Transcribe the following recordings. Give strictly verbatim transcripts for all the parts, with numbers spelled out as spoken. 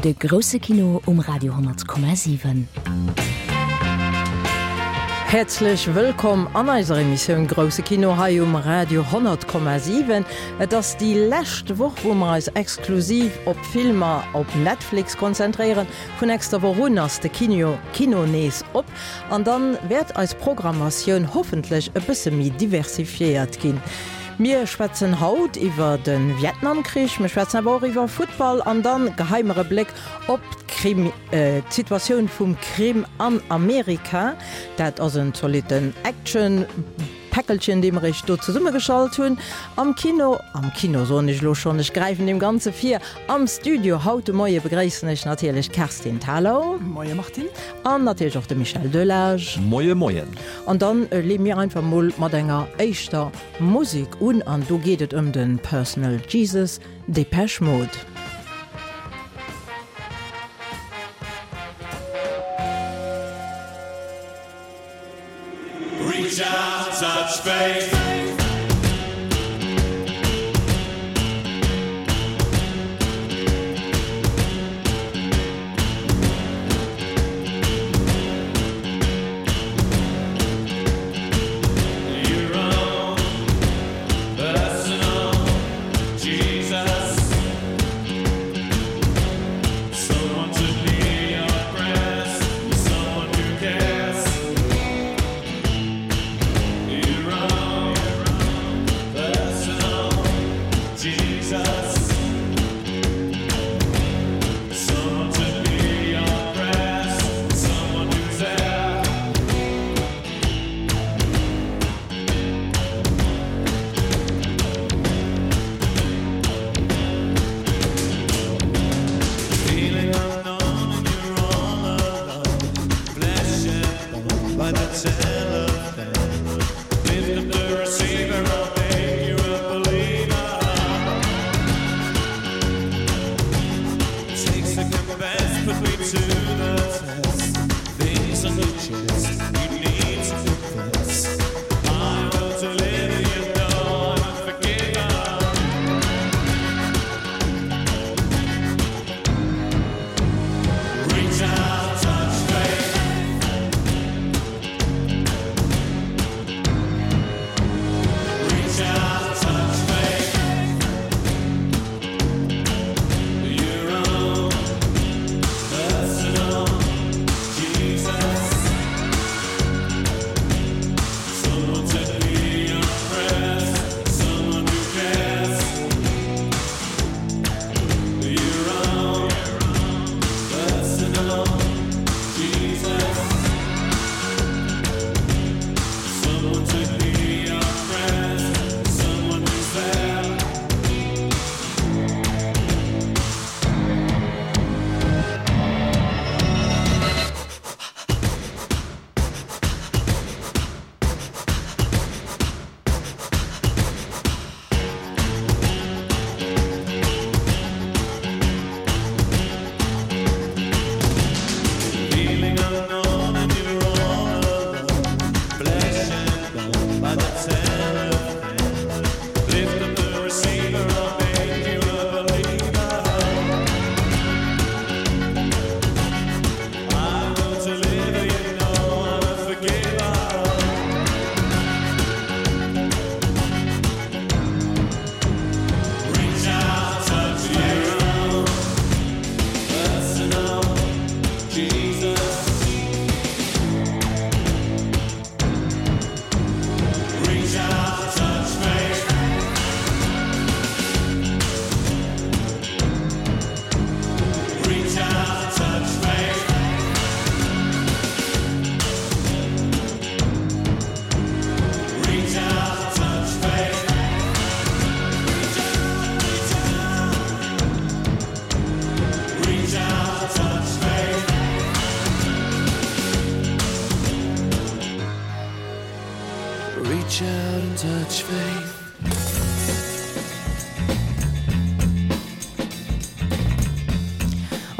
De grousse Kino um Radio honnert Komma siwen. Häerzlech wëllkomm an eiser Emissioun Grousse Kino hei um Radio honnert Komma siwen. Et ass déi lescht Woch, wou mer eis exklusiv op Filmer op Netflix konzentréieren. Vun nächster Woch un ass de Kino Kino nees op an dann wäert eis Programmatioun hoffentlech e bësse méi diversifiéiert ginn. Mir schwätzen haut iwwer de Vietnamkrich, mir schwätzen awer och iwwer Futtball an dann geheie mer e Bléck op d'Krim, d'Situatioun vum Krim an Amerika. Dat ass en zolitten Action-Päckelchen, dee mer iech do zesummegeschalt hunn. Am Kino, am Kino soen ech elo schonn, ech gräifen deem Ganze vir, am Studio haut de Moie begréissen ech natierlech d'Kerstin Thalau. Moie Martine. An natierlech och de Michel Delage. Moie Moien. An dann leeë mir einfach mol mat enger éischter Musek un an do geet et ëm de Personal Jesus, Depeche Mode. Reach out, touch faith.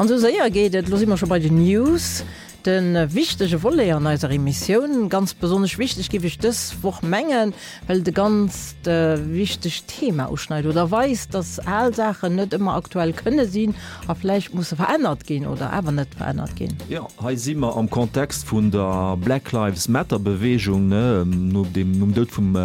An esou séier geet et, elo si mer scho bei den News. De wichtege Volet an eiser Emissioun, ganz besonnesch wichteg géif ech dës Woch mengen, well et e ganzt wichtegt Thema uschneit oder weist, dass al Saachen net ëmmer aktuell kënne sinn a vläicht musse verännert ginn oder awer net verännert ginn. Jo, hei si mer am Kontext vun der Black Lives Matter Beweegung, ne, no dem, nom Doud vum,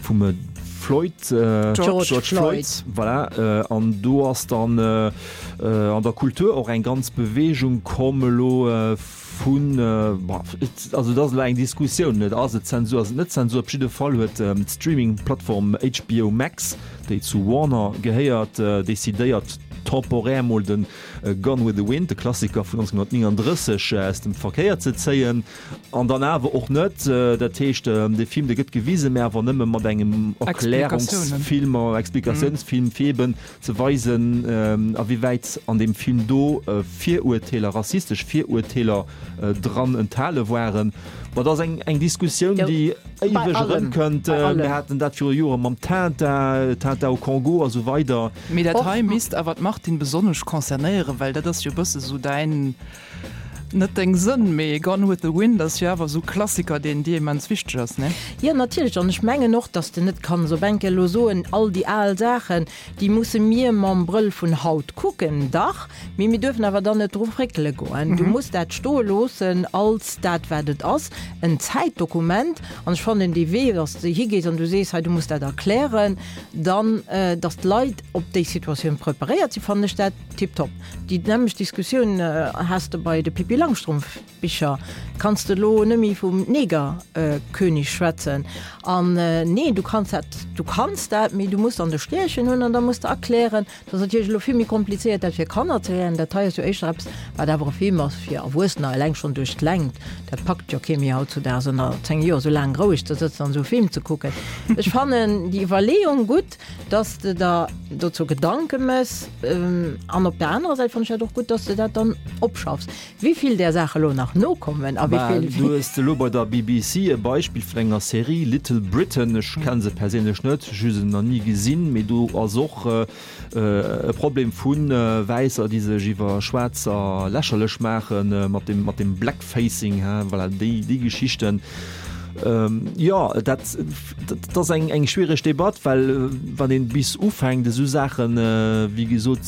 vum Floyd, George George Floyd. Floyd, voilà, an do ass dann an der Kultur och eng ganz Beweegung komm elo vun, bon, also dat ass elo eng Diskussioun, net, ass et Zensur, ass et net Zensur? Op jidde Fall huet d'Streaming-Plattform H B O Max, déi zu Warner gehéiert, decidéiert temporär mol den Gone with the Wind, de Klassiker vun nonzénghonnertnénganddrësseg, aus dem Verkéier ze zéien. An dann awer och net. Dat heescht, dee Film, dee gëtt gewisen, mä awer nëmme mat engem Erklärungsfilm, Explikatiounsfilm, fir eben ze weisen, awéiwäit an deem Film do Virurteeler, rassistesch Virurteeler dran enthale waren. Ma dat ass eng, eng Diskussioun, déi éiweg erëmkënnt. Mir haten dat viru Jore mam Tintin, Tintin au Congo a sou weider. Mee dat hei misst awer d'Martine besonnesch concernéieren, well dat ass jo e bësse sou däin, net deng Sënn, mee Gone with the Wind ass jo awer esou Klassiker, deen dir immens wichteg ass, ne? Jo, natierlech. An ech mengen och, dass de net kanns op eng Kéier elo soen, all déi al Saachen, déi musse mir mam Brëll vun haut kucken. Dach, mee mir duerfen awer dann net dru fréckele goen. Du muss dat stoe loossen als dat, wat et ass, en Zäitdokument. An ech fannen dee Wee, dass de higees an du sees, hei, du muss dat erklären, dann, dass d'Leit op déi Situatioun preparéiert sinn, fannen ech dat tiptop. Déi nämmlecht Diskussioun has de bei de Pippi Langstrumpf-Bicher. Kanns de elo nëmme vum Negerkönig schwätzen? An nee, du kanns dat, du kanns dat, mee du muss dann de Stierchen hunn an da muss de erklären. Dat ass natierlech elo vill méi komplizéiert, dat fir Kanner ze erklären. Dat hei ass jo éischter eppes, wat awer e Film ass fir Erwuessener, eleng schonn duerch d'Längt. Dat packt jo kee méi hautzudaags ënner zéng Joer, esou laang roueg ze sëtzen an esou e Film ze kucken. Ech fannen déi Iwwerleeung gutt, dass de der dozou Gedanke méchs. An op der anerer Säit fannen ech dat och gutt, dass de dat dann opschaffs. Wéi vill där Saache elo nach nokommen a wéi vill. Du hues elo bei der B B C e Beispill vun enger Serie, Little Britain. Ech kenne se perséinlech net, ech hu se nach ni gesinn, mee do ass och e Problem vu Wäisser, déi sech iwwer Schwaarzer lächerlech maachen, mat dem, mat dem Blackfacing, voilà, déi, déi Geschichten. Jo, dat, dat ass eng, eng schwiereg Debatt, well wann een bis ufänkt esou Saachen, wéi gesot,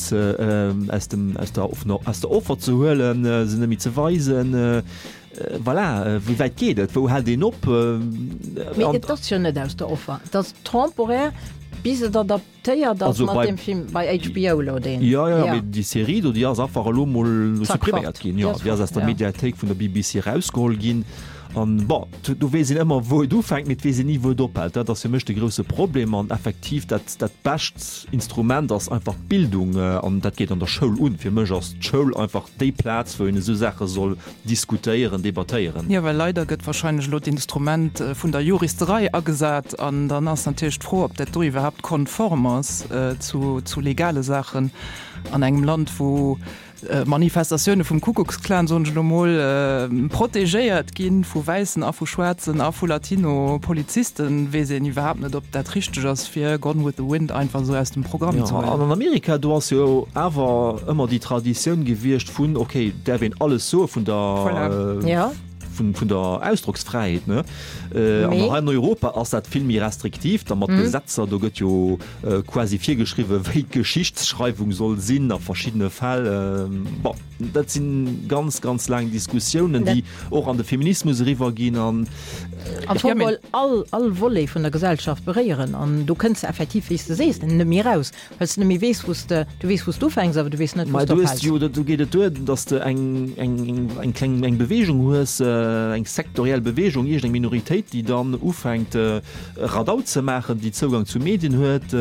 aus dem, aus der, aus der Offer ze huelen, se net méi ze weisen, voilà, wéi wäit geet et, wou hält een op? Mee et ass jo net aus der Offer, et ass temporär, bis et adaptéiert ass mat deem Film bei H B O elo deen. Jo, jo, mee déi Serie do, déi ass einfach elo mol suppriméiert ginn, jo, déi ass aus der Mediathéik vun der B B C erausgeholl ginn. An, bon, do weess een ëmmer, wou et ufänkt, mee et weess een ni, wou et ophält. Dat ass fir mech de grousse Problem. An effektiv, dat, dat bescht Instrument ass einfach d'Bildung. An dat geet an der Schoul un. Fir mech ass d'Schoul einfach déi Plaz, wou een esou Saache soll diskutéieren, debattéieren. Jo, well leider gëtt wahrscheinlech elo d'Instrument vun der Juristerei agesat. An dann ass natierlech d'Fro, ob dat do iwwerhaapt konform ass zu, zu legale Saachen an engem Land, wou Manifestatioune vum Kuckucksklan, soen ech elo mol, protegéiert gi vu wäissen a vu schwaarzen a vu Latino-Polizisten, weess een iwwerhaapt net, ob dat richteg ass, fir Gone with the Wind einfach esou aus dem Programm ze huelen. An an Amerika, do ass jo awer ëmmer déi Traditioun gewiescht vun, okay, däerf een alles soe vun der, vun der Ausdrocksfräiheet, ne? An hei an Europa ass dat vill méi restriktiv, da mat Gesetzer, do gëtt jo quasi virgeschriwwen, wéi d'Geschichtsschreiwung soll sinn a verschiddene Fäll. Bon, dat si ganz, ganz laang Diskussiounen, déi och an de Feminismus eriwwer ginn an. Am Fong geholl all, all Volet vun der Gesellschaft beréieren an do kënns de effektiv, wéi s de sees, net méi eraus, well s de net méi weess, wou s de, du weess, wou s de ufänks, awer du weess net, wou s de ophäls. Mä du hues jo, do geet et duer, datt s de eng, eng, eng kleng, eng Beweegung hues, eng sektoriell Beweegung, iergend eng Minoritéit, déi dann ufänkt Radau ze maachen, déi Zougang zu Medien huet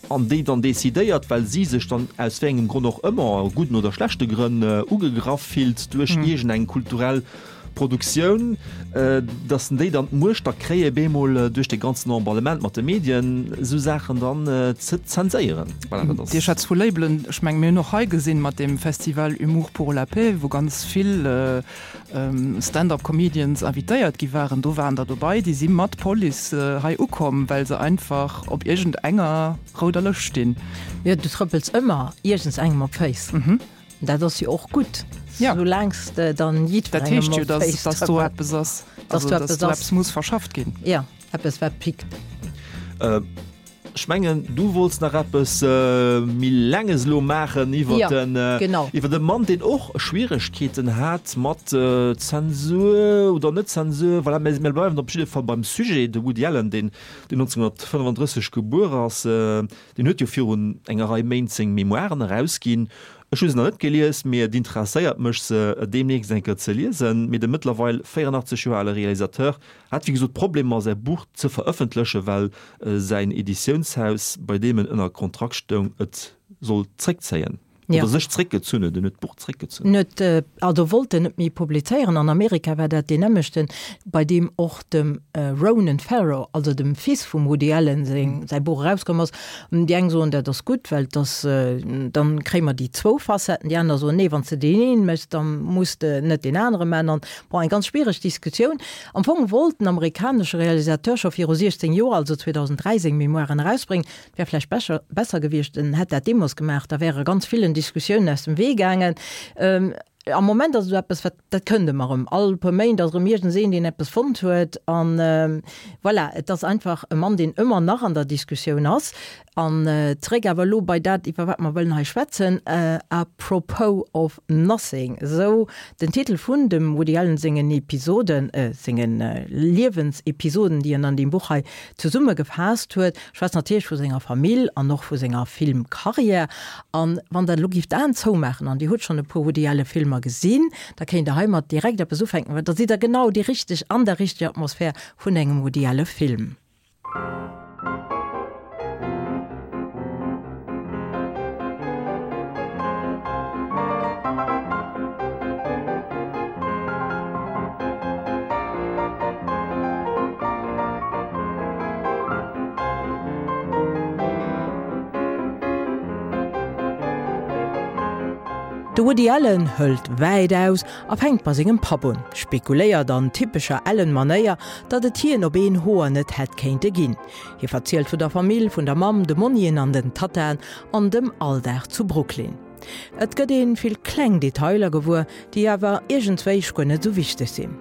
an déi dann decidéiert, well si sech dann aus wéi engem Grond och ëmmer, gudden oder schlechte Grënn, ugegraff fillt duerch iergend eng kulturell Produktioun, dass déi dann d'Muecht da kréie bemol duerch de ganzen Emballement mat de Medien esou Saachen dann ze zenséieren. Voilà, dat ass. Dir schwätzt vu Labelen. Ech menge mir hunn och hei gesinn mat deem Festival Humour pour la paix, wou ganz vill Stand-up Comedians invitéiert gi waren. Do waren der dobei, déi si mat Police hei ukomm, well se einfach op iergendenger rouder Lëscht stinn. Jo, du trëppels ëmmer iergends engem op d'Féiss. Dat ass jo och gutt. Ja. Soulaang s de dann Dat jiddwerengem heescht jo, op dass, d'Féiss dass do trëppelt. eppes ass. Dass Also, do dass eppes do ass. eppes muss verschafft ginn. Ja, eppes wat pickt. Äh, ech mengen, du wollts nach eppes äh, méi Laanges elo maachen iwwer Ja, den, äh, genau. iwwer de Mann, deen och Schwieregkeeten hat mat äh, Zensur oder net Zensur, voilà, mir mir bleiwen op jidde Fall beim Sujet, de Woody Allen, deen, deen nonzénghonnertfënnefandrësseg gebuer ass, äh, deen huet jo virun enger Rei Méint seng Memoiren erausginn. Ech hu se nach net gelies, mee et interesséiert mech se deemnächst eng Kéier ze liesen. Mee de mëttlerweil véierandachtzeg Joer ale Realisateur hat wéi gesot Problemer säi Buch ze verëffentlechen, well äh, säin Editiounshaus, bei deem en ënner Kontrakt stoung, et sollt zréckzéien. Ja. Oder sech zréckgezunn huet, en huet d'Buch zréckgezunn. Net, äh, also wollt en net méi publizéieren. An Amerika war dat deen nämmlechten, bei deem och dem äh, Ronan Farrow, also dem Fils vum Woody Allen, seng, säi Buch erauskomm ass. Déi eng soen, dat ass gutt, well das, äh, dann kréie mer déi zwou Facetten. Déi aner soen, nee, wann s de deen een méchs, dann muss de net deen anere maachen. An, bon, eng ganz schwiereg Diskussioun. Am Fong wollt den amerikanesche Realisateur scho viru siechzéng Joer, also zweedausenddräi, seng Memoiren erausbréngen. Wär vläicht besser, besser gewiescht, en hätt dat deemools gemaach, da wäre ganz villen Diskussiounen aus dem Wee gaangen. Ähm, am Moment ass esou eppes, wat, dat kënnt ëmmer erëm. All puer Méint ass erëm iergendseen, deen eppes fonnt huet. An ähm, voilà, et ass einfach e Mann, deen ëmmer nach an der Diskussioun ass. An äh, zréck awer elo bei dat, iwwer wat mer wëllen hei schwätzen, äh, Apropos of Nothing. Esou den Titel vun dem Woody Allen sengen Episoden, äh, sengen äh, Liewensepisoden, déi en an deem Buch hei zesummegefaasst huet, schwätzt natierlech vu senger Famill an och vu senger Filmkarriär. An wann der elo géift d'Aen zoumaachen an dir hutt schonn e puer Woody Allen Filmer gesinn, da kéint der heimat direkt eppes ufänken, well da sidd der genau déi richteg an der richteger Atmosphär vun engem Woody Allen Film. De Woody Allen hëlt wäit aus a fänkt bei sengem Papp un, spekuléiert an typescher Allen-Manéier, datt et hien op een Hoer net hätt kéinte ginn. Hie verzielt vun der Famill, vun der Mamm, de Monnien an den Tattaen an dem Alldag zu Brooklyn. Et gëtt ee vill kleng Detailer gewuer, déi awer iergendswéi guer net esou wichteg sinn.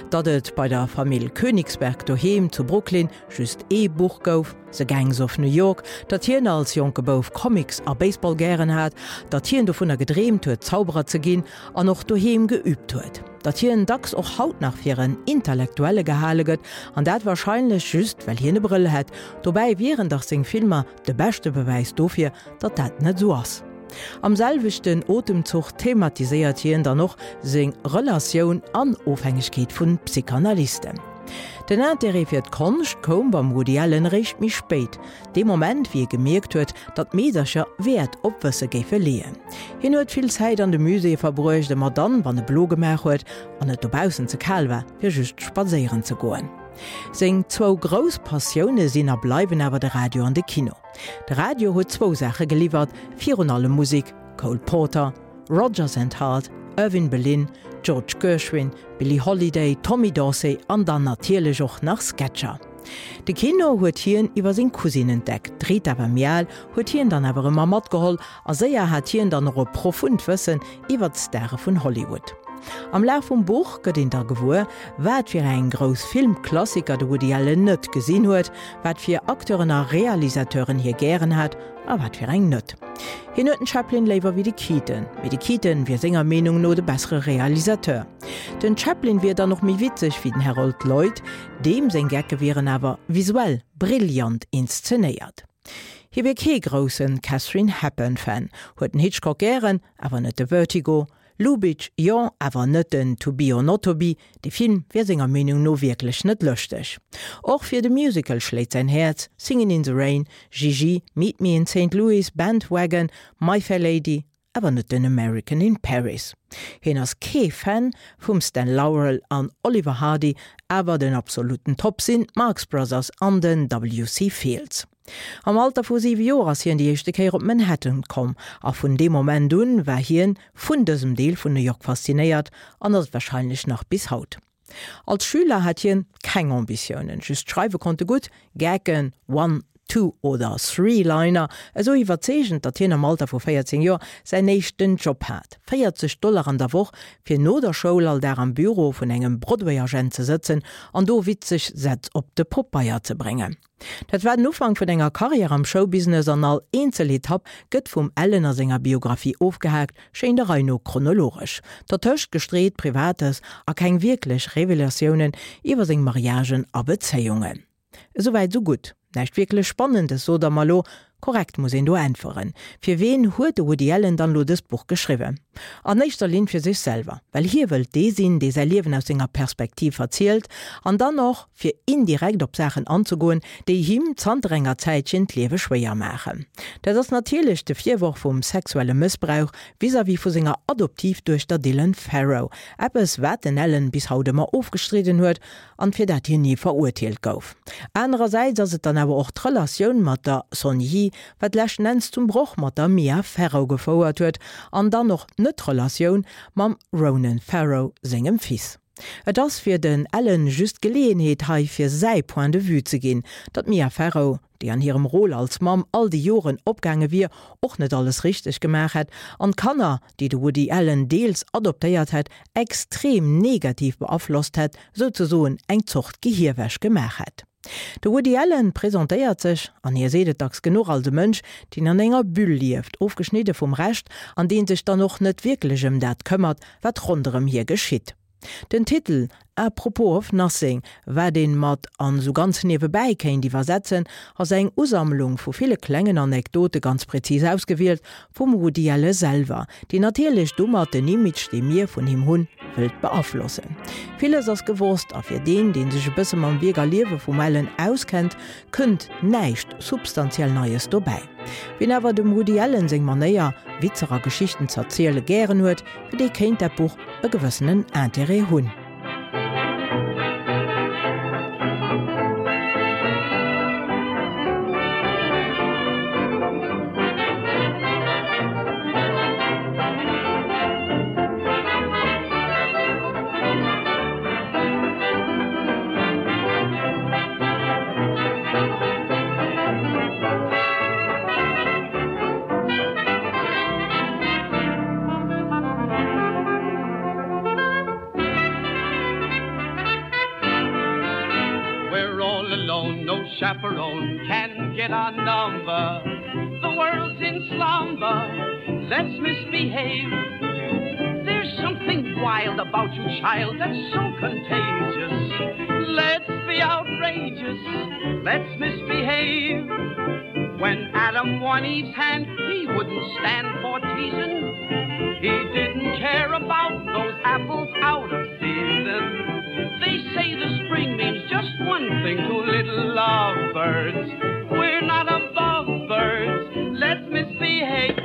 Datt et bei der Famill Königsberg doheem zu Brooklyn just ee Buch gouf, The Gangs of New York, datt hien als jonke Bouf Comics a Baseball gären hat, datt hien dovunner gedreemt huet, Zauberer ze ginn an och doheem geüübt huet. Datt hien dacks och haut nach fir en Intellektuelle gehale gëtt, an dat warscheinlech just, well hien e Brëll hätt. Dobäi wieren dach seng Filmer de beschte Bewäis dofir, datt dat net esou ass. Am selwechten Otemzuch thematiséiert hien dann och seng Relatioun an Ofhängegkeet vu Psychanalysten. Den Interêt fir d'Konscht koum beim Woody Allen eréischt méi spéit, dee Moment wéi e gemierkt huet, datt Meedercher Wäert op Wësse géife leeën. Hien huet vill Zäit an de Muséeë verbruecht, ëmmer dann, wann e blo gemaach huet an et dobaussen ze kal war, fir just spadséieren ze goen. Seng zwou grouss Passioune sinn a bleiwen awer de Radio an de Kino. De Radio huet zwou Saache geliwwert, virun allem Musek, Cole Porter, Rodgers and Hart, Irving Berlin, George Gershwin, Billie Holiday, Tommy Dorsey an dann natierlech och nach Sketcher. De Kino huet hien iwwer seng Cousine entdeckt, d'Rita Vermiel huet hien dann awer ëmmer matgeholl a séier hat hien dann och e profund Wëssen iwwer d'Stare vun Hollywood. Am Laf vum Buch gëtt een da gewuer, wat fir eng grouss Filmklassiker de Woody Allen net gesinn huet, wat fir Acteuren a Realisateuren hie gären hat a wat fir eng net. Hien huet den Chaplin léiwer wéi de Keaton, mee de Keaton wier senger Meenung no de bessere Realisateur. Den Chaplin wier dann och méi witzeg wéi den Harold Lloyd, deem seng Gecke wieren awer visuell brillant inszenéiert. Hie wier kee grousse Katharine Hepburn-Fan, huet den Hitchcock gären, awer net de Vertigo, Lubitsch, jo, awer net den To Be or Not to Be, de Film wier senger Meenung no wierklech net lëschteg. Och fir de Musical schléit säin Häerz, Singin' in the Rain, Gigi, Meet Me in Saint Louis, Bandwagon, My Fair Lady, awer net den American in Paris. Hien ass kee Fan vum Stan Laurel an Oliver Hardy, awer den absoluten Top sinn d'Marx Brothers an den W C Fields. Am Alter vu siwe Joer ass hien déi éischte Kéier op Manhattan komm a vun deem Moment un war hien vun dësem Deel vun New York faszinéiert an ass et warscheinlech nach bis haut. Als Schüler hat hien keng Ambitiounen, just schreiwe konnt e gutt, Gecken, one, Two oder Three-Liner esou iwwerzeegend, datt hien am Alter vu véierzéng Joer säin éischten Job hat, véierzeg Dollar an der Woch, fir no der Schoul all Dag am Büro vun engem Broadway-Agent ze sëtzen an do witzeg Sätz op de Popeier ze bréngen. Dat war den Ufank vun enger Karriär am Showbusiness an all eenzel Etapp gëtt vum Allen a senger Biographie ofgehaakt, schéin der Rei no chronologesch. Dertëscht gestreet Privates a keng wierklech Revelatiounen iwwer seng Mariagen a Bezéiungen. Esouwäit esou gutt. Näischt wierklech Spannendes, sot der mer lo. Korrekt, muss een do äntweren. Fir ween huet de Woody Allen dann lo dëst Buch geschriwwen? An éischter Linn fir sech selwer, well hie wëllt dee sinn, dee säi Liewen aus senger Perspektiv erzielt, an dann och fir indirekt op Saachen anzegoen, déi him zanter enger Zäitchen d'Liewe schwéier maachen. Dat ass natierlech de Virworf vum sexuelle Mëssbrauch vis-à-vis vu senger Adoptivduechter Dylan Farrow, eppes wat den Allen bis haut ëmmer ofgestridden huet an fir dat hien ni verurteelt gouf. Anerersäits ass et dann awer och d'Relatioun mat der Sonny Yee, wat leschten Enns zum Broch mat der Mia Farrow gefouert huet, an dann och d'Net-Relatioun mam Ronan Farrow sengem Fils. Et ass fir den Allen just d'Geleeënheet hei fir säi Point de vue ze ginn, datt d'Mia Farrow, déi an hirem Rôle als Mamm all déi Joren opgaange wier, och net alles richteg gemaach hätt an d'Kanner, déi de Woody Allen deels adoptéiert hätt, extrem negativ beaflosst hätt, souzesoen eng Zort Gehierwäsch gemaach hätt. De Woody Allen presentéiert sech, an hie seet et dacks genuch, als e Mënsch, deen an enger Bulle lieft, ofgeschnidde vum Rescht, an dee sech dann och net wierklech ëm dat këmmert, wat ronderëm hie geschitt. Den Titel A Propos of Nothing, wat een mat an esou ganz niewebäi kéint iwwersetzen, ass eng Usammlung vu ville klengen Anekdote, ganz präzis ausgewielt vum Woody Allen selwer, deen natierlech domat den Image, dee mir vun him hunn, wëllt beaflossen. Villes ass gewosst a fir deen, dee sech e bësse mam Wierk a Liewe vum Allen auskennt, kënnt näischt substantiell Neies dobäi. Wien awer dem Woody Allen seng Manéier, Witzer a Geschichten z'erziele gären huet, fir dee kéint dat Buch e gewëssenen Interêt hunn. We're all alone, no chaperone can get our number. The world's in slumber, let's misbehave. There's something wild about you, child, that's so contagious. Let's be outrageous, let's misbehave. When Adam won Eve's hand, he wouldn't stand for teasing. He didn't care about those apples out of season. They say the spring means just one thing to little lovebirds. We're not above birds, let's misbehave.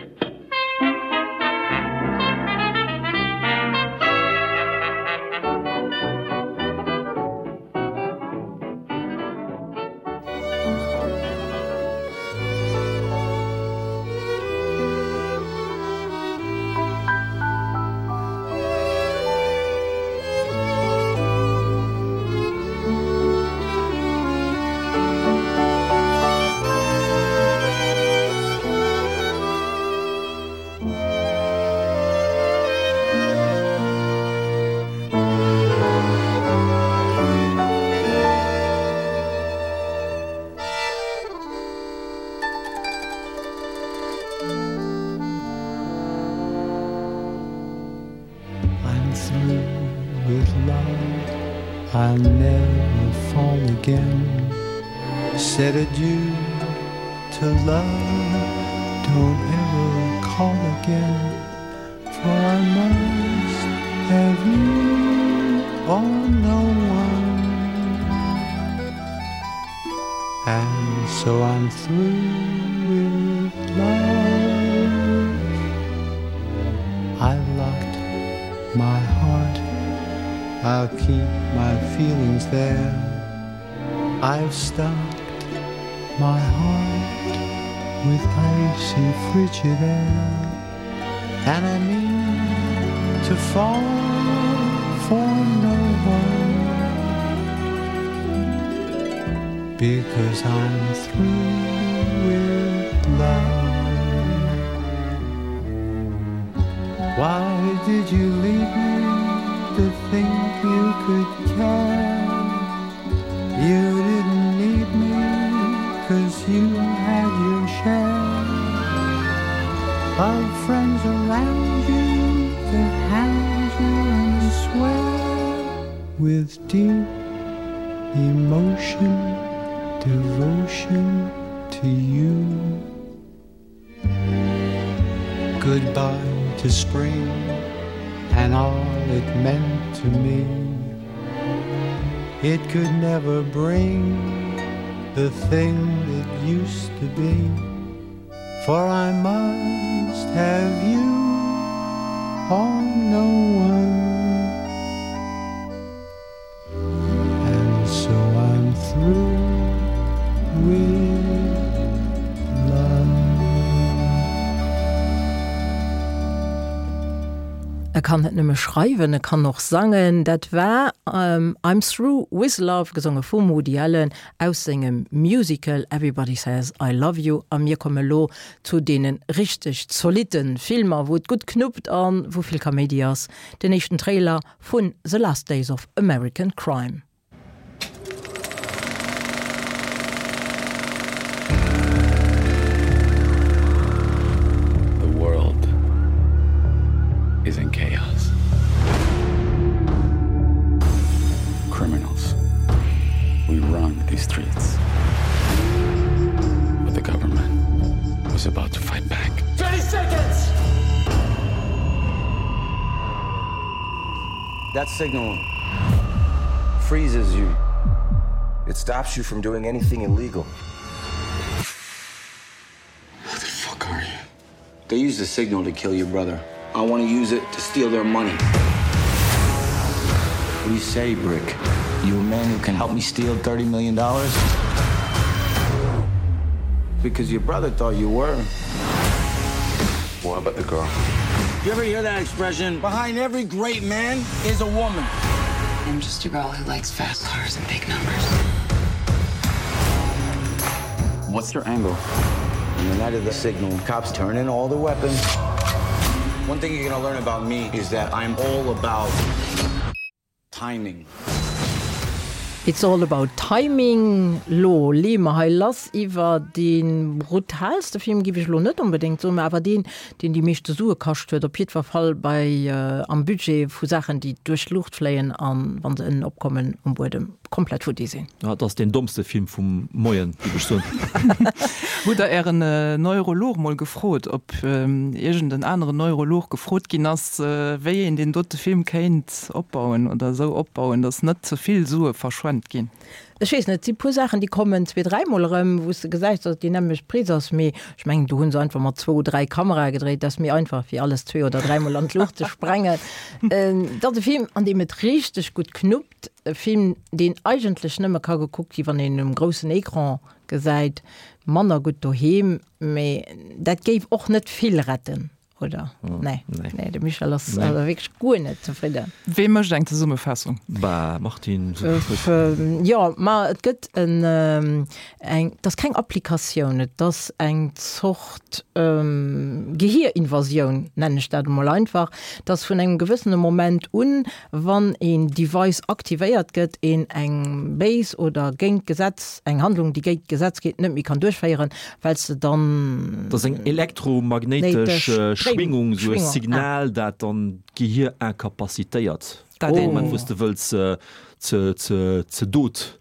I'm through with love, I'll never fall again. Said adieu to love, don't ever call again, for I must have you or no one. And so I'm through with love. I've locked my heart, I'll keep my feelings there. I've stocked my heart with icy frigid air, and I mean to fall for no one. Because I'm through with love. Why did you leave me to think you could care? You didn't need me 'cause you had your share of friends around you to hound you and swear with deep emotion, devotion to you. Goodbye to spring and all it meant to me. It could never bring the thing that used to be. For I must have you or no one. And so I'm through with love. E kann net nëmme schreiwen, e kann och sangen. Dat war ähm, I'm Through with Love, gesonge vum Woody Allen aus sengem Musical Everybody Says I Love You. A mir komme lo zu deene richteg zolitten Filmer, wou et gutt knuppt an wou vill Kaméidi ass. Den éischten Trailer vun The Last Days of American Crime. The world is in chaos. Criminals. We run these streets. But the government was about to fight back. thirty seconds! That signal freezes you. It stops you from doing anything illegal. Who the fuck are you? They used the signal to kill your brother. I want to use it to steal their money. What do you say, Brick? You a man who can help me steal thirty million dollars? Because your brother thought you were. What about the girl? You ever hear that expression? Behind every great man is a woman. I'm just a girl who likes fast cars and big numbers. What's your angle? On the night of the signal, cops turn in all the weapons. One thing you're gonna learn about me is that I'm all about timing. It's all about timing. Lo leeë mer hei lass iwwer dee brutaalste Film, géif ech lo net onbedéngt soen, mä awer deen, deen déi meeschte Sue kascht huet, op jiddwer Fall bei am Budget vu Saachen, déi duerch d'Luucht fléien an, wa se ënnen opkommen, um Buedem komplett futti sinn. Ja, et ass deen dommste Film vum Moien, géif ech soen. Hutt Der Ären Neurolog mol gefrot, ob iergend en aneren Neurolog gefrot ginn ass, wéi een deen dote Film kéint opbauen oder esou opbauen, datt net ze vill Sue verschwent ginn? Ech weess net, et si puer Saachen, déi kommen zwee, dräimol erëm, wou s de gesäis, datt et déi nämmlecht Prise ass, mee ech mengen, do hu se einfach mat zwou, dräi Kamerae gedréit, dat ass méi einfach, wéi alles zwee oder dräimol an d'Luucht ze sprengen. Et ass e Film, an deem et richteg gutt knuppt, e Film, deen eigentlech nëmme ka gekuckt gi wann een en um groussen Ecran gesäit, manner gutt doheem, mee dat géif och net vill retten. Oder? Nee. Nee, de Michel ass nee. also wierklech guer net zefridden. Wee mécht eng Zesummefaassung? Bah, Martine. Jo, ma et gëtt en, eng, et ass keng Applikatioun, et ass eng Zort Gehierinvasioun, nennen ech dat emol einfach, dass vun engem gewëssene Moment un, wann een Device aktivéiert gëtt, een eng béis oder géint d'Gesetz, eng Handlung, déi géint d'Gesetz geet, net méi kann duerchféieren, well s de dann. Dat ass eng elektromagnéitesch Schwingung, esou e Signal, dat dann d'Gehir incapacitéiert. Dat dee Moment, wou s de wëlls ze, ze, ze Dot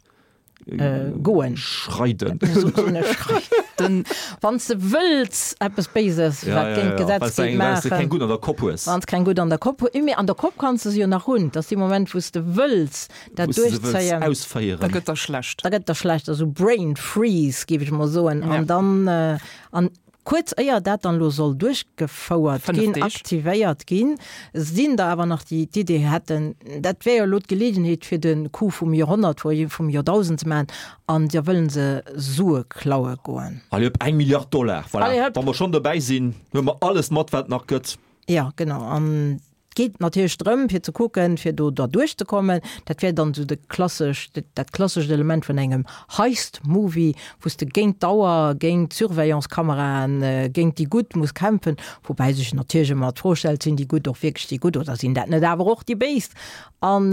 goen. Schreiden. Wann s de wëlls eppes Béises, wat géint d'Gesetz geet, maachen. Wann s de keng gutt an der Kopp hues. Wann s keng gutt an der Kopp hues. Mee an der Kopp kanns de se jo nach hunn. Dat ass dee Moment, wou s de wëlls dat duerchzéien. Ausféieren. Da gëtt der schlecht. Da gëtt der schlecht. Also Brain Freeze, géif ech mol soen. An dann, an kuerz éier dat dann elo soll duerchgefouert ginn, aktivéiert ginn, sinn der awer nach, déi d'Idee hätten, dat wär jo elo d'Geleegenheet fir de Coup vum Joerhonnert, vum Joerdausend ze maachen, an da wëllen se Sue klaue goen. Allez hëpp, eng Milliard Dollar, voilà. Allez hëpp! Wa mer schonn dobäi sinn, huele mer alles mat, wat et nach gëtt. Jo, genau. An geet natierlech drëm fir ze kucken, fir do derduerch ze kommen. Dat wär dann esou de klassesch, dat klassescht Element vun engem Heist-Movie, wou s de géint d'Auer, géint d'Surveillance-Kameraen, géint déi Gutt muss kämpfen, woubäi sech natierlech ëmmer d'Fro stellt, Sinn déi Gutt och wierklech déi Gutt oder sinn dat net awer och déi Béis? An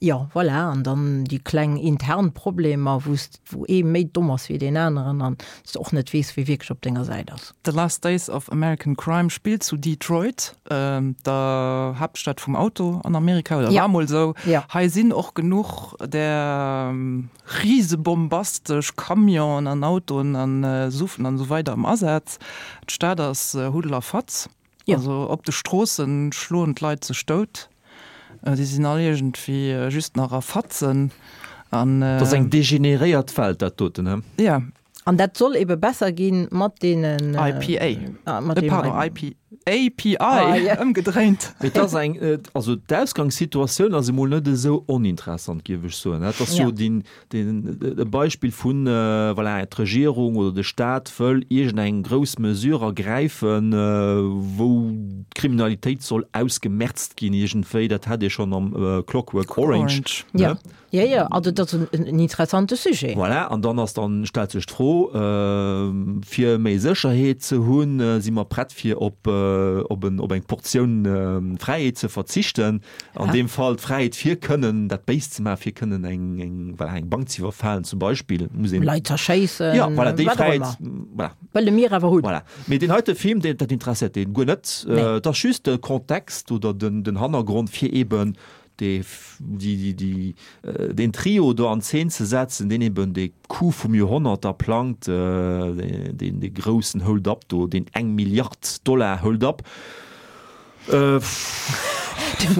jo, voilà, an dann déi kleng intern Problemer, wou s, wou ee méi domm ass wéi deen aneren an s de och net weess, wie wierklech op denger Säit ass. The Last Days of American Crime spillt zu Detroit, der Haaptstad vum Auto an Amerika, oder war mol esou. Hei sinn och genuch där risebombastesch Camionen an Autoen an Suven an esou weider am Asaz. D'Stad ass Huddel a Fatz. Also op de Stroossen schloen d'Leit sech dout. Déi sinn all iergendwéi just nach a Fatzen. An dat ass eng degeneréiert Welt, dat doten, he? Ja. An dat soll ebe besser ginn mat deenen. I P A. Pardon, I P, A P I, ëmgedréint. Mee et ass eng, also d'Ausgangssituatioun ass emol net esou oninteressant, géif ech soen. Dat ass jo deen, deen, e Beispill vun, voilà, d'Regierung oder de Staat wëll iergendeng grouss Mesure ergräifen, wou d'Kriminalitéit soll ausgemerzt ginn iergendwéi. Dat hat ee schonn am Clockwork Orange. Jo, jo, jo, also dat ass en interessante Sujet. Voilà, an dann ass dann, stellt sech d'Fro, fir méi Sécherheet ze hunn, si mer prett fir op, op en, op eng Portioun Fräiheet ze verzichten, an deem Fall d'Fräiheet fir kënnen dat Béist ze maachen, fir kënnen eng, eng, voilà, eng Bank ze iwwerfalen zum Beispill, muss een. Leit z'erschéissen, Ja, voilà, déi wat och Fräiheet, ëmmer. Voilà. Wëlle mir awer hunn. Voilà. Mee deen heite Film, deen, dat interesséiert deen guer net. Nee. Et ass just de Kontext oder den, den Hannergrond fir eben dee, déi, déi, déi, deen Trio do an Zeen ze setzen, deen eben dee Coup vum Joerhonnert da plangt, deen, dee groussen Hold-up do, deen eng Milliard Dollar Hold-up.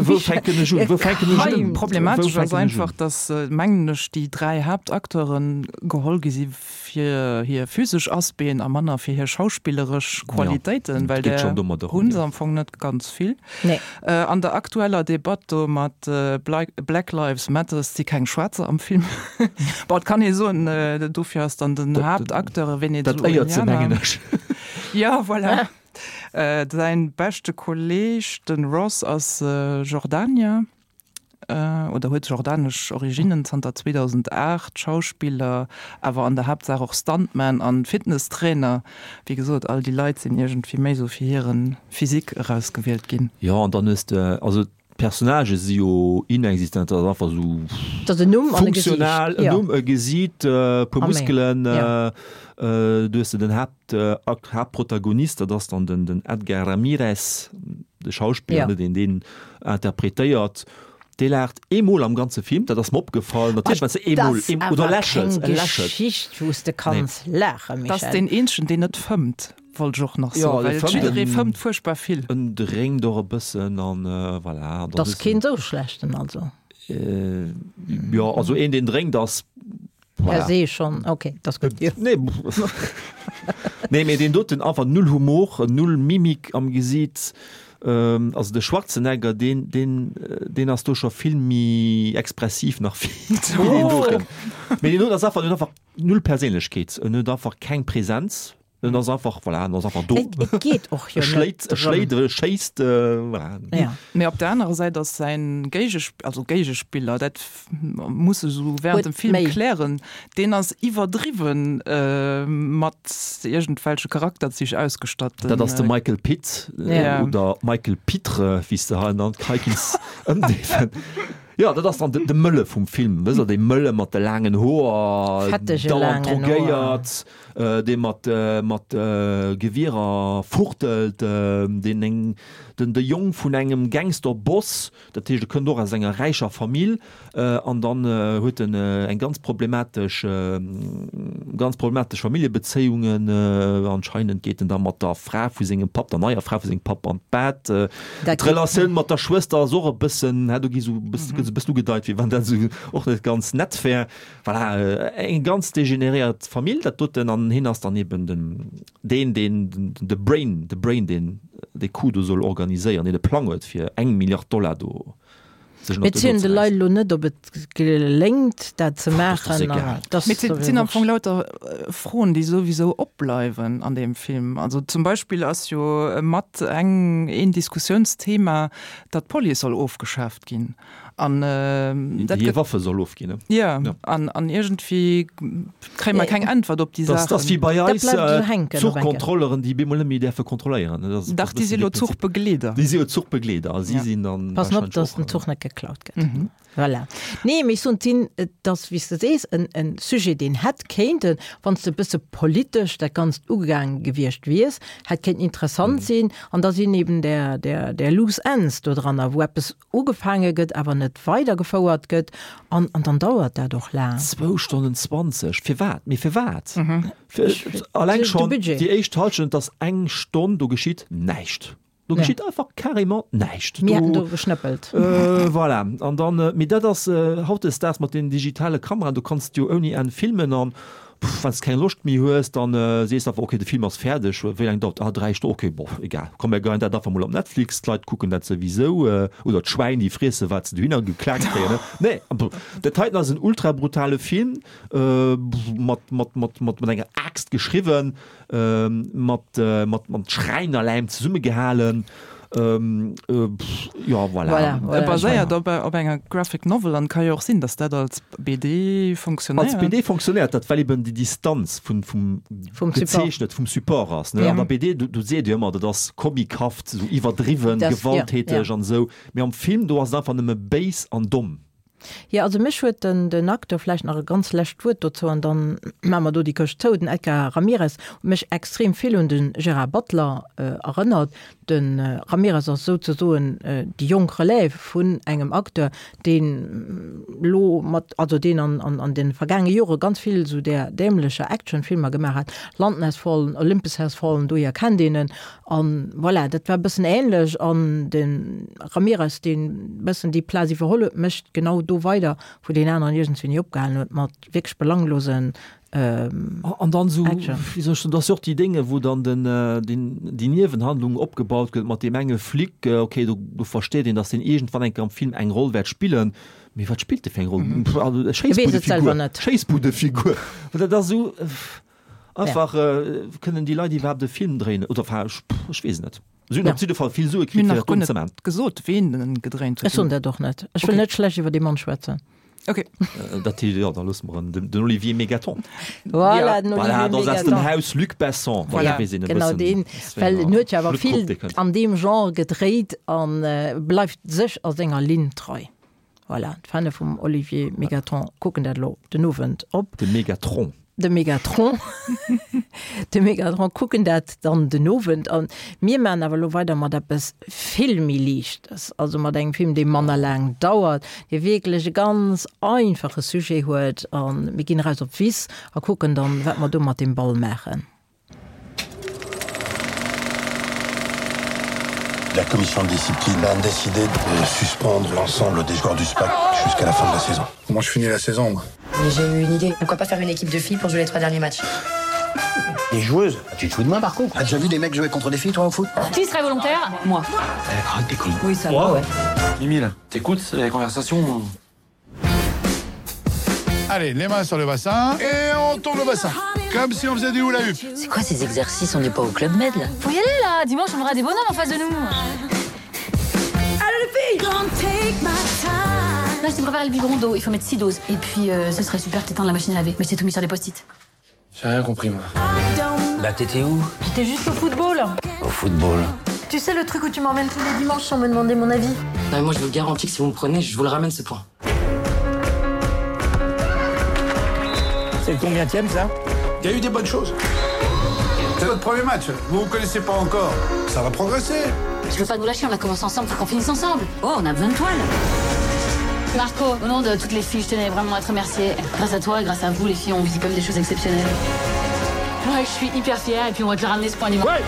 Wou fänken ech un? Wou fänken ech un? Problematesch ass einfach, dass, mengen ech, déi dräi Haaptacteure geholl gi si fir hir physesch Aspecten a manner fir hir schauspilleresch Qualitéiten, well där hu se am Fong net ganz vill. An der aktueller Debatt do mat Black Lives Matter si keng Schwaarzer am Film. Bon, et kann ee soen, dofir ass dann den Haaptacteur Dat éiert se, mengen ech. Jo, voilà. Säin beschte Kolleg, den Ross, ass Jordanier, oder huet jordanesch Originnen, zanter zweedausendacht Schauspiller, awer an der Haaptsaach och Stuntman an Fitnesstrainer. Wéi gesot, all déi Leit sinn iergendwéi méi sou fir hiren Physique erausgewielt ginn. Jo, an dann hues de, also d'Personnagë si jo inexistent, dat ass einfach esou Dat ass en Numm an e Gesiicht, funktional, en jo. Numm, e Gesiit, e puer A méi, Muskelen, jo. Du hues de den Haapt, Haaptprotagonist, dat ass dann den, den Edgar Ramirez, de Schauspiller, Jo. ne, deen deen interpretéiert. Dee laacht eemol am ganze Film, dat ass mer opgefall, natierlech, well se eemol, Dat eem, ass oder awer lächelt, keng e lächelt. Geschicht, wou s de Nee. kanns laachen, Dat ass Michèle. deen eenzegen, deen net fëmmt, wollt ech och nach Jo, soen, dee well fëmmt, jidderee en fëmmt fuerchtbar vill. en drénkt och e bëssen an voilà. An Dat dann ass hues de keen esou schlechten also. Jo, also een, deen drénkt, ass Per voilà. se schonn, ok, dat ass gutt, jo. Nee, nee, mee deen doten einfach null Humor, null Mimik am Gesiit. Also de Schwarzenegger, deen, deen, deen ass do scho vill méi expressiv nach wéi deen doten. Mee deen doten ass einfach, en huet einfach null Perséinlechkeet, en huet einfach keng Präsenz, en ass einfach, voilà, en ass einfach do. Et, et geet och jo E schléit, net e schléit, drëm. e schéisst, voilà. Ja. Mee op der anerer Säit ass säin Géigesp-, also Géigespiller, dat muss e sou während Huet dem Film méi. klären, deen ass iwwerdriwwen mat iergendwelche Charakterzich ausgestatt. Dat ass de Michael Pitt, Ja. oder Michael Pitre, wéi s de hei nannt, hei kinns ëmdeefen. Jo, dat ass dann de, de Mëlle vum Film, wësst der, dee Mëlle mat de laangen Hoer, Fettege dauernd laangen Hoer. drogéiert, dee mat, mat Gewierer fuchtelt, deen eng, den, de Jong vun engem Gangsterboss, dat heescht, e kënnt och aus enger räicher Famill, an dann huet en eng ganz problematesch, ganz problematesch Familljebezéiungen, anscheinend geet en da mat der Fra vu sengem Papp, der neier Fra vu sengem Papp an d'Bett. D'Relatioun mat der Schwëster ass och e bëssen, do gi sou e bëssen, gëtt sou e bëssen ugedeit, wéi wann dat sou och net ganz nett wär. Voilà, eng ganz degeneréiert Famill, dat doten, an hien ass dann eben den, deen, deen, de Brain, de Brain, deen dee Coup do soll organiséieren, deen de Plang huet, fir eng Milliard Dollar do sech Mir zielen de Leit elo net, ob et geléngt, dat ze maachen. Mee et sinn am Fong lauter Froen, déi souwisou opbleiwen an deem Film. Also zum Beispill ass jo mat eng een Diskussiounsthema, datt d'Police soll ofgeschaaft ginn. An dat gëtt. Hir Waffe soll ofginn, ne? Jo, an an iergendwéi kréie mer keng Äntwert op déi Saachen. Dat ass wéi bei eis d'Zuchkontrolleren, déi bemol net méi däerfe kontrolléieren. Dach, déi si lo Zuchbegleeder. Déi si jo Zuchbegleeder a si sinn dann. Passen op, dass den Zuch net geklaut gëtt. Voilà. Nee, mee ech soen, d'sinn, et ass, wéi s de sees, en, en Sujet, deen hätt kéinten, wann s de e bësse politesch dat Ganzt ugegaange gewiescht wiers, hätt kéinten interessant sinn. An da sinn eben där, där, där loose ends dodranner, wou eppes ugefaange gëtt, awer net weidergefouert gëtt. An, an dann dauert dat och laang. Zwou Stonnen zwanzeg, firwat? Mee firwat? Fir, alleng schonn déi éischt Hallschent ass eng Stonn, do geschitt näischt. Do geschitt einfach carrément näischt. Mir hätten do geschnëppelt. Voilà. An dann, mee dat ass hautdesdaags mat den digitale Kameraen, do kanns de jo ouni Enn filmen an wann s de keng Loscht méi hues, dann sees de einfach, okay, de Film ass fäerdeg, wéi laang dauert? Ah, dräi Stonnen, okay, bof, egal, komm mir geien dat einfach mol op Netflix, d'Leit kucken dat souwisou, oder d'Schwäin, déi friessen, wat se dohinner geklaakt kréien. Nee, dat heiten ass en ultra brutale Film, mat, mat, mat, mat enger Aaxt geschriwwen. mat mat mat Schräinerläim zesummegehalen. Jo, voilà. Voilà, voilà. Baséiert op op enger Graphic Novel an ka jo och sinn, datt dat als B D fonctionnéiert. Als B D fonctionnéiert dat, well eben déi Distanz vun vum Vum Support. Gezeechnet vum Support ass, ne. Ja. An der B D, do do seet Dir ëmmer, dat ass comichaft, esou iwwerdriwwen, Das, ja, gewalttäteg ja. an esou. Mee am Film, do ass et einfach nëmme béis an domm. Jo, also mech huet den, den Acteur, vläicht nach e ganz lescht Wuert dozou an dann maache mer do déi Këscht zou, den Edgar Ramirez huet mech extrem vill un de Gérard Butler erënnert. De Ramirez ass souzesoen déi jonk Relève vun engem Acteur, deen elo mat, also deen an, an, an de vergaange Jore ganz vill esou där dämlecher Actionfilmer gemaach hat, London Has Fallen, Olympus Has Fallen, dohier kennt een en. An voilà, dat war e bëssen ähnlech an de Ramirez, deen e bëssen déi Plaz iwwerholl huet, mécht genau do weider, wou deen aneren iergendswéini opgehalen huet mat wierklech belanglosen An dann esou, Action. wéi soll ech soen, dat ass jo och déi Dénge, wou dann den, den, déi Niewenhandlung opgebaut gëtt mat deem enge Flic. Okay, do, do versteet een, datt deen iergendwann eng Kéier am Film eng Roll wäert spillen. Mee wat spillt dee fir eng Roll? Also e E weess et selwer Schéissbuddefigur. net. Schéissbuddefigur. Dat ass esou. Einfach kënnen déi Leit iwwerhaapt e Film dréinen oder enfin ech ech weess et net. Si hunn op jidde Fall vill Sue Mir kritt hunn fir nach dat guer do ze net maachen. gesot, ween en gedréint huet. Ech soen dat och net. Ech wëll Okay. net schlecht iwwer dee Mann schwätzen. Okay. Dat heescht, jo, da loosse mer en, den Olivier Megaton. Voilà, den Voilà, Olivier dat ass aus dem Megaton. Haus Luc Besson. Voilà. Da weess een e Genau bëssen, deen, aus wéi well enger en huet jo awer Schluttgrupp vill dee kënnt. an deem Genre gedréit an bleift sech a senger Linn trei. Voilà, d'Fanne vum Olivier Megaton kucken dat elo den Owend op. De Megatron. De Megatron. De Megatron kucken dat dann den Owend an. Mir maachen awer elo weider mat eppes vill méi Liichtes, also mat engem Film, dee manner laang dauert, dee wierklech e ganz einfache Sujet huet. A mir ginn eraus op d'Wiss a kucken dann, wat mer do mat deem Ball maachen. La commission de discipline a décidé de suspendre l'ensemble des joueurs du SPAC jusqu'à la fin de la saison. Comment je finis la saison moi Mais j'ai eu une idée. Pourquoi pas faire une équipe de filles pour jouer les trois derniers matchs Des joueuses Tu te fous de moi par contre T'as déjà vu des mecs jouer contre des filles toi au foot Qui serait volontaire Moi. Arrête tes conneries. Oui, ça va, ouais. Mimile, t'écoutes les conversations Allez, les mains sur le bassin et on tourne le bassin. Comme si on faisait du hula hoop. C'est quoi ces exercices On n'est pas au Club Med là. Faut y aller là Dimanche on aura des bonhommes en face de nous. Allez les filles Là je te prépare le biberon d'eau, il faut mettre six doses. Et puis euh, ce serait super que t'étendes la machine à laver. Mais j'ai tout mis sur des post-it. J'ai rien compris moi. Bah t'étais où J'étais juste au football. Au football. Tu sais le truc où tu m'emmènes tous les dimanches sans me demander mon avis Non, mais moi je vous garantis que si vous me prenez, je vous le ramène ce point. C'est le combienième ça Il y a eu des bonnes choses. C'est votre premier match, vous vous connaissez pas encore. Ça va progresser. Je veux pas nous lâcher, on a commencé ensemble, faut qu'on finisse ensemble. Oh, on a besoin de toi là. Marco, au nom de toutes les filles, je tenais vraiment à te remercier. Grâce à toi, grâce à vous, les filles, on vit comme des choses exceptionnelles. Ouais, je suis hyper fière et puis on va te le ramener ce point dimanche. Ouais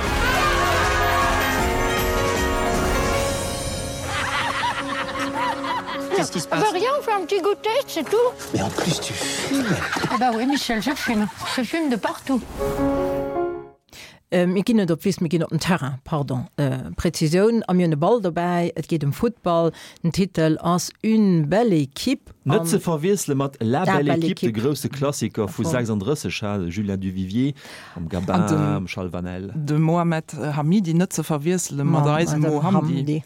Qu'est-ce qui se passe Bah rien, on fait un petit goûter, c'est tout. Mais en plus tu fumes Ah bah oui, Michel, je fume. Je fume de partout. Mir ginn net op d'Wiss, mir ginn op den Terrain, pardon, Präzisioun, a mir hunn e Ball dobäi, et geet ëm Futtball, den Titel ass Une belle équipe. Net ze verwiessele mat La belle équipe, de grousse Klassiker vu sechsunddrësseg, ha, de Julien Duvivier mam Gabin, mam Charles Vanel. De Mohamed Hamidi net ze verwiessele mat eisem Mo Hamdi.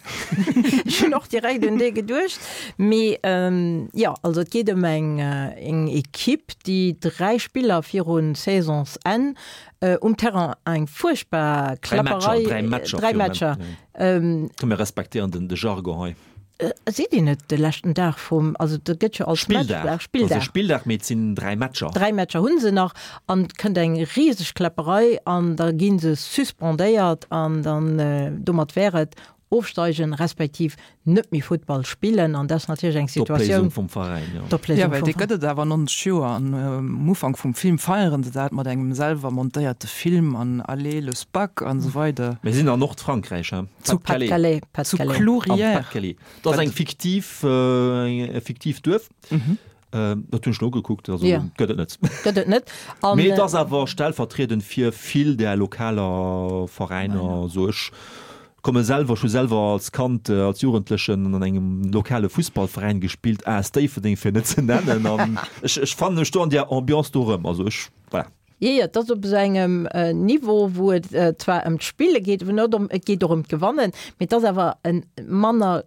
Ech hunn och direkt un dee geduecht. Mee jo, also et geet ëm eng Equipe, déi dräi Spiller virun Saisonsenn um Terrain eng fuerchtbar Klapperei. Dräi Matcher, dräi Matcher. Komm mir respektéieren den de Jargon hei. Seet een net de leschten Dag vum, also dat gëtt jo als Spilldag, Spilldag. Also Spilldag, mee et sinn dräi Matcher. Dräi Matcher hu se nach an et kënnt eng riseg Kläpperei an da gi se suspendéiert an dann domat wär et ofsteigen respektiv net méi Futtball spillen an dat ass natierlech eng Situatioun. D'Opléisung vum Veräin, jo. D'Opléisung vum. Jo, well dee gëtt et awer nonzeg Joer an um Ufank vum Film feieren se dat mat engem selwer montéierte Film an Allez le Spac an esou weider. Mir sinn an Nordfrankräich, he? Zu Pas-de-Calais. Zu Clourières. Am Pas-de-Calais. Dat ass eng fiktiv, e fiktiivt Duerf. Dat hunn ech nogekuckt, also ja. gëtt et net. Gëtt et net. An, Mee et ass awer stellvertriedend fir vill där lokaler Veräiner. So ech komme selwer, ech hu selwer als Kand, als Jugendlechen an engem lokale Fussballveräin gespillt, A S Déifferdeng fir net ze nennen, an ech, ech fannen mech do an där Ambiance do erëm. Also ech, voilà. Jo, jo, et ass op esou engem Niveau, wou et zwar ëm d'Spille geet, wou net ëm, et geet och ëm d'Gewannen, mee et ass awer e manner,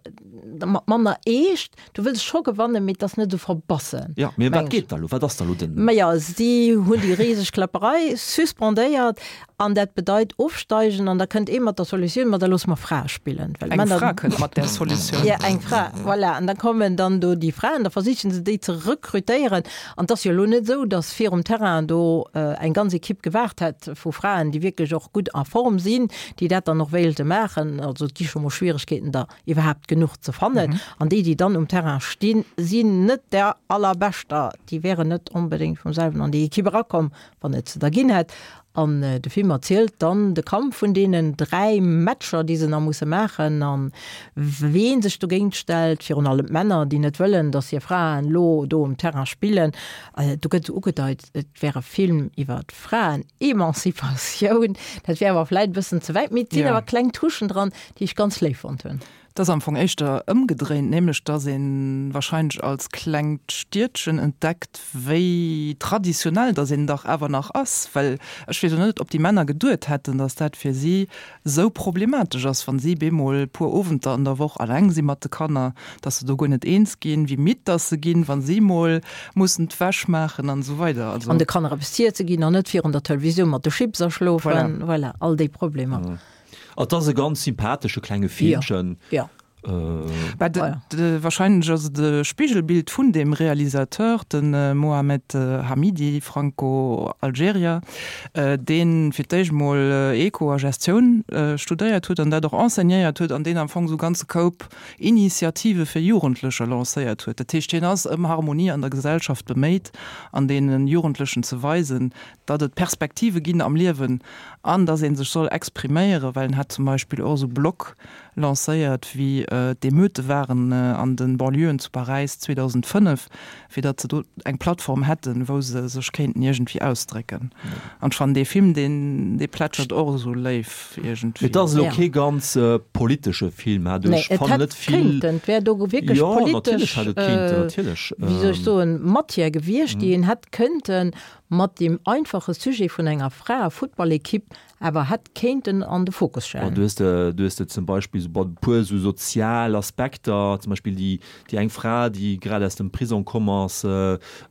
mat manner Eescht. Du wëlls scho gewannen, mee et ass net esou verbassen. Jo, mee ëm wat geet da elo? Wat ass da elo den. Maja, si hunn déi riseg Kläpperei suspendéiert an dat bedeit ofsteigen an da kënnt ee mat der Solutioun, ma da loosse mer Frae spillen, well Eng Männer. Fra kënnt mat där Solutioun. Jo, eng Fra, voilà. An da kommen dann do déi Fraen, da versichen se déi ze rekrutéieren. An et ass jo elo net esou, datt virum Terrain do eng ganz Equipe gewaart hätt vu Fraen, déi wierklech och gutt a Form sinn, déi dat dann och wéilte maachen. Also et gi scho mol Schwieregkeeten, der iwwerhaapt genuch ze fannen. An déi, déi dann um Terrain stinn, sinn net der allerbeschter. Déi wären net onbedéngt vum selwen an déi Equipe erakomm, wann et se der ginn hätt. An de Film erzielt dann de Kampf vun deenen dräi Matcher, déi se nach musse maachen, an ween sech dogéint stellt, virun allem d'Männer, déi net wëllen, datt hir Fraen elo do um Terrain spillen. Do gëtt esou ugedeit, et wär e Film iwwer d'Fraen-Emanzipatioun. Dat wär awer vläit e bëssen ze wäit, mee et sinn awer kleng Touchen dran, déi ech ganz léif fonnt hunn. Et ass am Fong éischter ëmgedréint, nämlech datt ee warscheinlech als klengt Stiedchen entdeckt, wéi traditionell datt een dach awer nach ass. Well ech weess och net, ob déi Männer geduet hätten, datt dat fir si esou problematesch ass, wa si bemol e puer Owenter an der Woch alleng si mat de Kanner, datt se do guer net eens ginn, wéi midd datt se ginn, wa si mol mussen d'Wäsch maachen an esou weider. Also. An de Kanner eppes z'iesse ginn an net virun der Televisioun mat de Chips aschlofen. Voilà, all déi Problemer. Et ass e ganz sympathesche klenge Filmchen. Ja. Bah, de, de, wahrscheinlech ass et e Spigelbild vun dem Realisateur, de Mohamed Hamidi, Franco-Algerier, dee fir d'éischt mol Eco a Gestioun studéiert huet an dat och enseignéiert huet an deen am Fong esou ganze Koup Initiative fir Jugendlecher lancéiert huet. Dat heescht, hien ass ëm Harmonie an der Gesellschaft beméit an deene Jugendlechen ze weisen, datt et Perspektive ginn am Liewen an datt ee sech soll expriméieren, well en hat zum Beispill och esou Blog lancéiert, wéi d'Emeute waren an de Banlieuën zu Paräis zweedausendfënnef, fir datt se do eng Plattform hätten, wou se sech kéinten iergendwéi ausdrécken. An ech fannen dee Film, deen, dee plätschert och esou léif iergendwéi. Et ass elo kee ganz politesche Film, hat Nee, ech et fannen hätt net vill. kéinten, et wär do wierklech Jo, politesch, natierlech hätt et kéinten, natierlech. wéi soll ech soen, Matière gewiescht, déi een hätt kënnten mat deem einfache Sujet vun enger Fraefuttballekipp awer hätt kéinten an de Fokus stellen. Du hues de, du hues de zum Beispill esou e puer esou sozial Aspekter, zum Beispill déi, déi eng Fra, déi grad aus dem Prisong komm ass,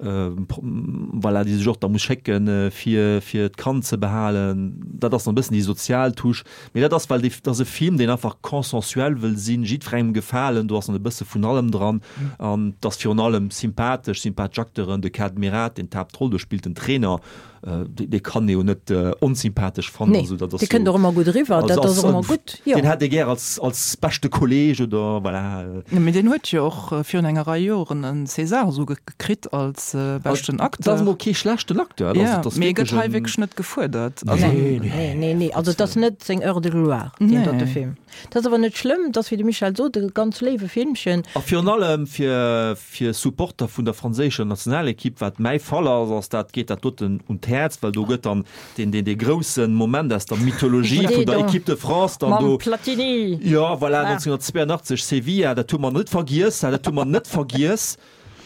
voilà, déi sech och da muss schécken, fir, fir d'Kand ze behalen. Dat ass dann e bëssen déi sozial Touche. Mee dat ass, well dee, dat ass e Film, deen einfach consensuel wëll sinn, jiddwerengem gefalen, do ass dann e bësse vun allem dran. An et ass virun allem sympathesch, sympathesch Acteuren, de Kad Merad, deen d'Haaptroll do spillt, den Trainer, dee kann ee jo net onsympathesch fannen. Nee, also dat ass dee kënnt jo och ëmmer gutt eriwwer, also dat ass ass och ëmmer gutt, jo. Deen hätt ee gär als, als beschte Kolleeg oder voilà. Jo, mee deen huet jo och virun enger Rei Joren en César esou gekritt als beschten Acteur. Dat ass emol kee schlechten Acteur, Ja, also dat ass mee e gëtt wierklech hei en wierklech net gefuerdert. Also Nee, Nee, nee, nee, also et ass net seng Heure de gloire, deen dote Nee. Film. Dat ass awer net schlëmm, dat ass, wéi de Michel sot, e ganz léiwe Filmchen. A virun allem fir, fir Supporter vun der franséischer Nationalequipe, wat mäi Fall ass, ass dat, geet dat dat doten un d'Häerz, well do gëtt dann deen, deen, dee grousse Moment aus der Mythologie vun der Equipe de France dann do. Mam Platini! Jo, voilà, neunzehnhundertzweiundachtzeg, Sevilla, dat hu mer net vergiess, dat hu mer net vergiess.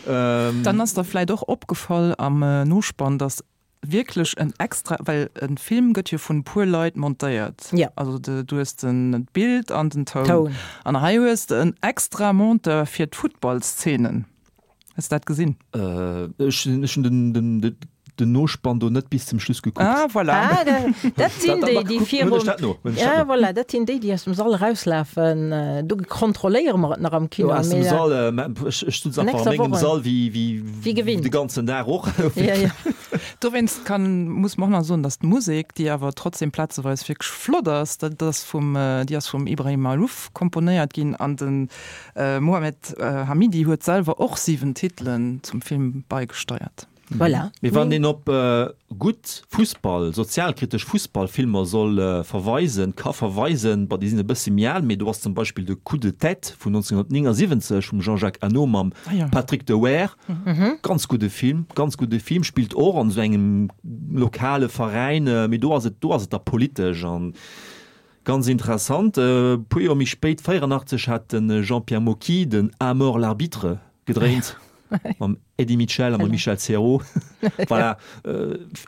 Dann ass der vläit och opgefall am Nospann, dass wierklech en extra, well e Film gëtt jo vun e puer Leit montéiert, also du hues den d'Bild an den Toun, an hei hues de en extra Monteur fir d'Futtballszenen. Hues de dat gesinn? Ech hunn den den Nospann do net bis zum Schluss gekuckt. Ah, voilà. Ah, dat sinn déi, déi virum, ja, voilà, dat sinn déi, déi aus dem Sall erauslafen. Do kontrolléiere mer et nach am Kino. Jo, aus dem Sall, ech ech sutz einfach a mengem Sall wéi, wéi, wéi gewinnt. De ganzen Dag och. Ja, ja. Dowéinst kann, muss mer och nach soen, dass d'Musek, déi awer trotzdem plazeweis wierklech flott ass, dat ass vum, déi ass vum Ibrahim Maalouf komponéiert ginn an de Mohamed Hamidi huet selwer och siwen Titelen zum Film baigesteiert. Voilà. Mee wann een op gutt Fussball, sozialkritesch Fussballfilmer soll verweisen, ka verweisen, bon, déi sinn e bësse méi al, mee do ass zum Beispill de Coup de tête vun neunzehnhundertneunundsiebzig vum Jean-Jacques Annaud mam Patrick Dewaere, ganz gudde Film, ganz gudde Film, spillt och an esou engem lokale Veräin, mee do ass et, do ass et da politesch an ganz interessant. E puer Joer méi spéit, véierundachtzeg, hat de Jean-Pierre Mocky den À mort l'arbitre gedréint. Mam Eddie Mitchell a mam Michel Serrault. Voilà.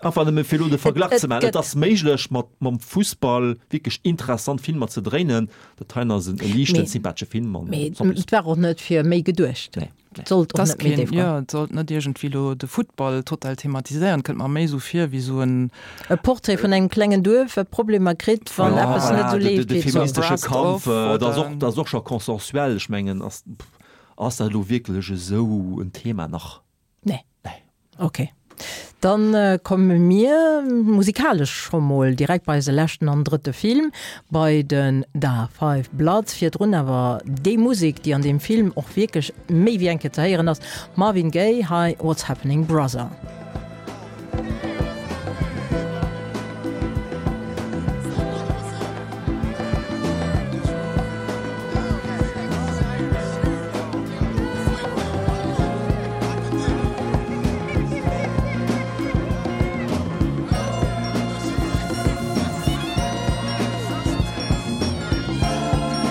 Einfach nëmme fir elo de Verglach ze maachen. Et ass méiglech, mat, mam Fussball wierklech interessant Filmer ze dréinen. Dat heien ass en liichten, sympathesche Film. Mee et war och net fir méi geduecht. Nee. Et sollt och net méi déif goen. Jo, et sollt net iergendwéi elo de Futtball total thematiséieren. Et kënnt mer méi esou vir wéi esou en. E Portrait vun engem klengen Duerf, wat Problemer kritt, wann eppes net esou leeft, wéi et soll. De feministesche Kampf, dat ass och, dat ass och scho consensuel. Ech mengen, ass. Ass dat elo wierklech esou en Thema nach? Nee. Nee. Ok. Dann komme mir musikalesch scho mol direkt bei eise leschten an drëtte Film, bei den Da Five Bloods. Virdrun awer déi Musek, déi an deem Film och wierklech méi wéi eng Kéier ze héieren ass, Marvin Gaye, hei What's Happening Brother.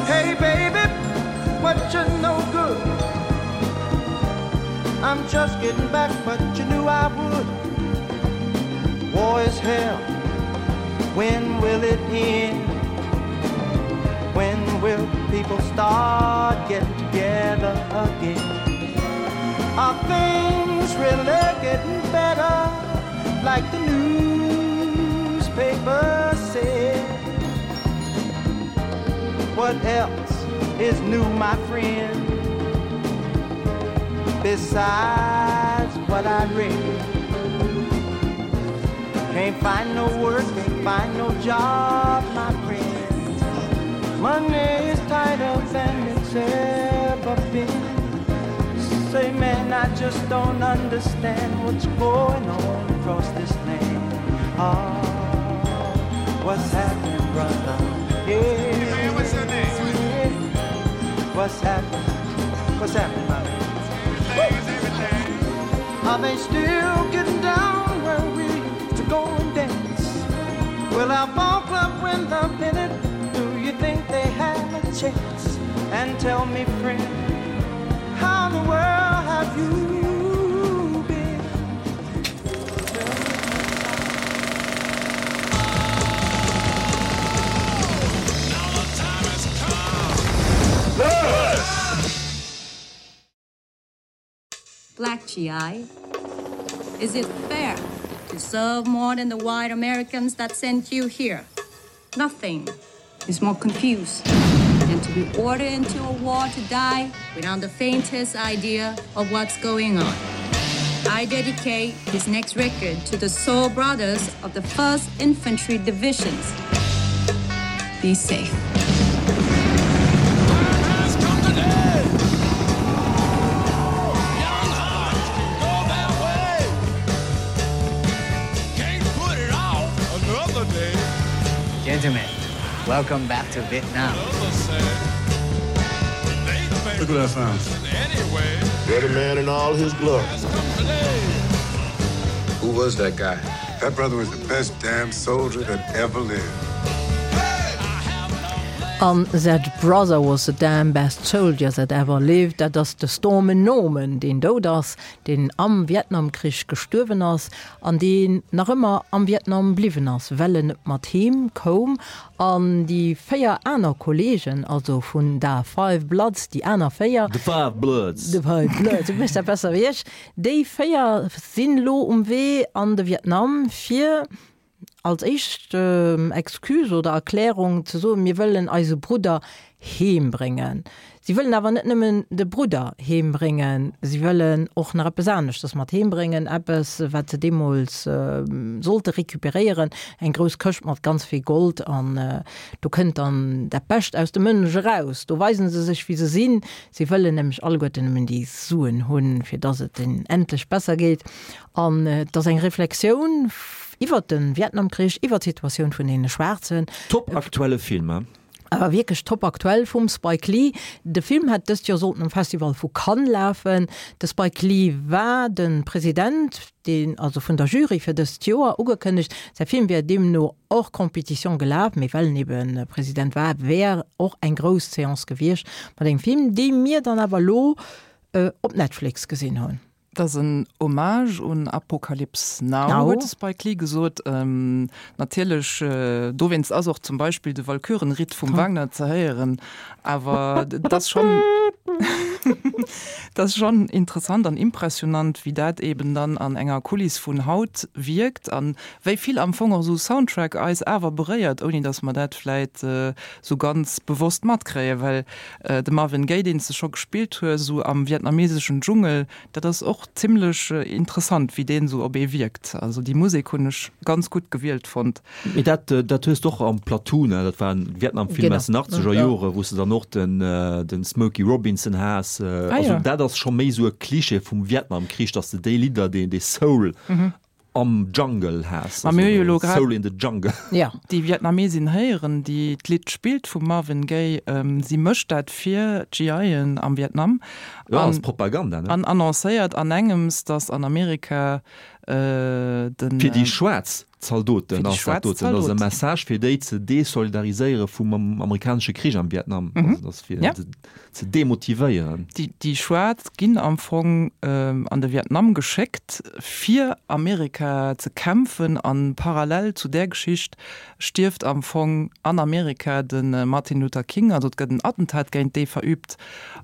Hey baby, what you no good? I'm just getting back, but you knew I would. War is hell, when will it end? When will people start getting together again? Are things really getting better? Like the newspaper said. What else is new, my friend? Besides what I read. Can't find no work, can't find no job, my friend. Money is tighter than it's ever been. Say, man, I just don't understand what's going on across this land. Ah, what's happening, brother? Yeah. Hey, what's your name? What's happening? What's happening, my man? Are they still getting down where we used to go and dance? Will our ball club win the pennant? Do you think they have a chance? And tell me, friend, how in the world have you been? Black G I, is it fair to serve more than the white Americans that sent you here? Nothing is more confused than to be ordered into a war to die without the faintest idea of what's going on. I dedicate this next record to the soul brothers of the first Infantry Divisions. Be safe. Gentlemen, welcome back to Vietnam. Look what I found. Better man in all his glory. Who was that guy? That brother was the best damn soldier that ever lived. An That brother was the damn best soldier that ever lived, dat ass de Stormin' Norman, deen dout ass, deen am Vietnamkrich gestuerwen ass an deen nach ëmmer am Vietnam bliwwen ass, well en net mat heem koum. An déi véier aner Kolleegen, also vun Da Five Bloods, déi aner véier, The Five Bloods. The Five Bloods, du méchs dat besser wéi ech, déi véier sinn elo um Wee an de Vietnam, fir als éischt Excuse oder Erklärung ze soen, mir wëllen eise Brudder heem bréngen. Si wëllen awer net nëmmen de Brudder heem bréngen, si wëllen och nach eppes aneschters mat heem bréngen, eppes wat se deemools sollte recuperéieren, eng grouss Këscht mat ganz vill Gold. An do kënnt dann dat Bescht aus de Mënsch eraus, do weisen se sech wéi se sinn. Si wëllen nämlech alleguerten nëmmen déi Suen hunn, fir dass et hinnen endlech besser geet. An et ass eng Reflexioun iwwert de Vietnamkrich, iwwert d'Situatioun vun deene Schwaarzen. Top aktuelle Film, he? Awer wierklech top aktuell vum Spike Lee. De Film hätt dëst Joer sollten um Festival vu Cannes lafen. De Spike Lee war de President, deen also vun der Jury fir dëst Joer ugekënnegt. Säi Film wier deemno hors compétition gelaf, mee well en ebe President war, wär och eng grouss Seance gewiescht mat engem Film, dee mir dann awer elo op Netflix gesinn hunn. Et ass en Hommage un Apocalypse Now, huet de Spike Lee gesot. Natierlech, dowéinst ass och zum Beispill de Walkürenritt vum Wagner ze héieren. Awer et ass schonn, et ass schonn interessant an impressionant, wéi dat eben dann an enger Kuliss vun haut wierkt an wéi vill am Fong och esou Soundtrack eis awer beréiert, ouni datt mer dat vläit esou ganz bewosst matkréien. Well de Marvin Gaye, deen s de scho gespillt hues, esou am vietnameseschen Dschungel, dat ass och zimlech interessant, wéi deen esou op ee wierkt. Also déi Musek hunn ech ganz gutt gewielt fonnt. Mee dat, dat hues de och am Platoon, dat war en Vietnamfilm aus den achtzeger Jore, wou s de dann och den, den Smokey Robinson has. Also dat ass scho méi esou e Klischee vum Vietnamkrich, datt s de déi Lidder, dee, dee Soul am Jungle has. Ma mir hu jo elo grad Soul in the Jungle. Déi Vietnamesin héieren, déi d'Lidd spillt vum Marvin Gaye. Si mécht dat fir d'GIen am Vietnam. Jo, ass Propaganda, ne? An annoncéiert an engems, datt an Amerika den. Fir déi schwaarz Zaldoten ass dat doten. Dat ass e Message, fir déi ze desolidariséiere vum amerikanesche Krich am Vietnam. Also dat ass fir se ze demotivéieren. Déi Schwaarz ginn am Fong an de Vietnam geschéckt, fir Amerika ze kämpfen. A parallel zu där Geschicht stierft am Fong an Amerika de Martin Luther King. Also et gëtt en Attentat géint dee verüübt.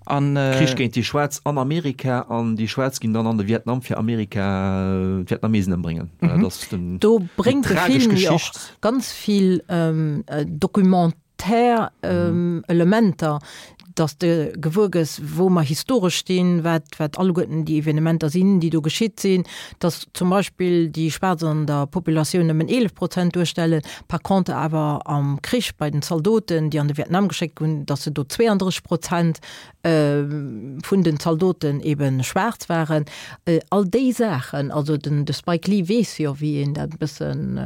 An. Krich géint déi Schwaarz an Amerika an déi Schwaarz ginn dann an de Vietnam fir Amerika, d'Vietnamesen ëmbréngen. Dat ass den, Do déi bréngt de tragesch Film jo och Geschicht. ganz vill documentaire Elementer, dass de gewuer gëss, wou mer historesch stinn, wat, wat alleguerten déi Evenementer sinn, déi do geschitt sinn, dass zum Beispill déi Schwaarz an der Populatioun nëmmen eelef Prozent duerstellen, par contre awer am Krich bei den Zaldoten, déi an de Vietnam geschéckt hunn, dass se do zweeëndrësseg Prozent vun den Zaldoten eben schwaarz waren. All déi Saachen, also den de Spike Lee weess jo, wéi een dat e bëssen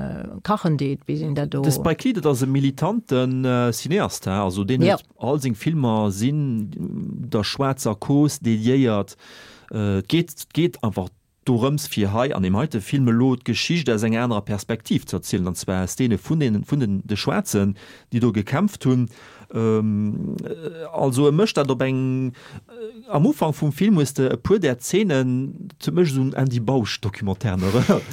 kachen deet, wéi een dat do. De Spike Lee, dat ass e militante Cineast, he, also deen huet all seng Filmer sinn der schwaarzer Cause dediéiert. Et geet, et geet einfach dorëms fir hei an deem heite Film elo d'Geschicht aus enger anerer Perspektiv ze erzielen, an zwar aus deene vun den, vun den, de Schwaarzen, déi do gekämpft hunn. Also e mécht dat op eng, am Ufank vum Film hues de e puer där Zeenen, dat huet mech esou un Andy Bausch-Documentairen erënnert.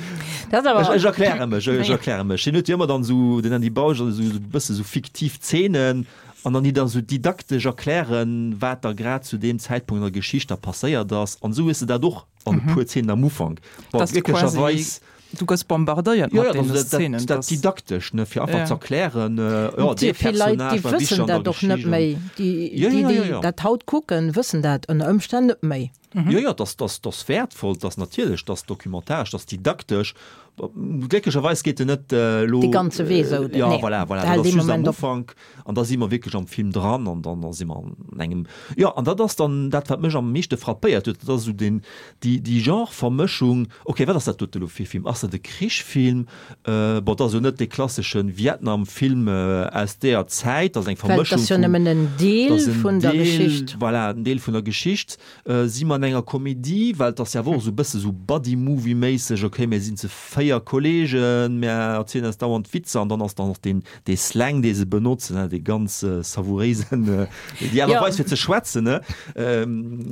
Dat ass awer. Ech erkläre mech, ech erkläre mech. Hien huet jo ëmmer dann esou, den Andy Bausch, esou e bësse sou fiktiv Zeenen an dann déi da sou didaktesch erklären, wat da grad zu deem Zäitpunkt an der Geschicht da passéiert ass. An esou hues de dat och an e puer Zeenen am Ufank. Bon, Dass du quasi, glécklecherweis. du gëss bombardéiert Jo, mat jo, deene dat, Szenen, dat, dat dass. didaktesch, ne, fir einfach Ja. ze erklären, jo, dee Vill Leit, Personnage déi war wichteg wëssen an der dat och net Geschicht an. méi. Déi, Jo, déi, jo, jo, déi jo. dat haut kucken, wëssen dat ënner Ëmstänn net méi. Jo, jo, dass, dass, dass wäertvoll, dass natierlech, dass dokumentaresch, dass didaktesch. Glécklecherweis geet en net elo. Dee ganze Wee esou, Jo, nee, voilà, voilà, dat hält dat ass ee just am Moment op. Ufank an da si mer wierklech am Film dran an dann da si mer an engem, jo, an dat ass dann dat, wat mech am meeschte frappéiert huet, dat ass esou deen, déi, déi Genre-Vermëschung. Okay, wat ass dat dote elo fir e Film? Ass dat e Krichsfilm? Bon, dat ass jo net dee klassesche Vietnam-Film aus deeër Zäit, dat ass eng Well et Vermëschung ass jo vum, nëmmen en dat Deel ass en vun der Deel, Geschicht. voilà, en Deel vun der Geschicht. Si mer an enger Komedie, well et ass jo awer och esou e bësse sou Buddy-Movie-méisseg, okay, mir sinn zu véier Kollegen, mir erzielen eis dauernd Witzer an dann ass dann och deen, dee Slang, dee se benotzen, ne, dee ganz savouréisen, déi Aart a Weis fir ze schwätzen, ne,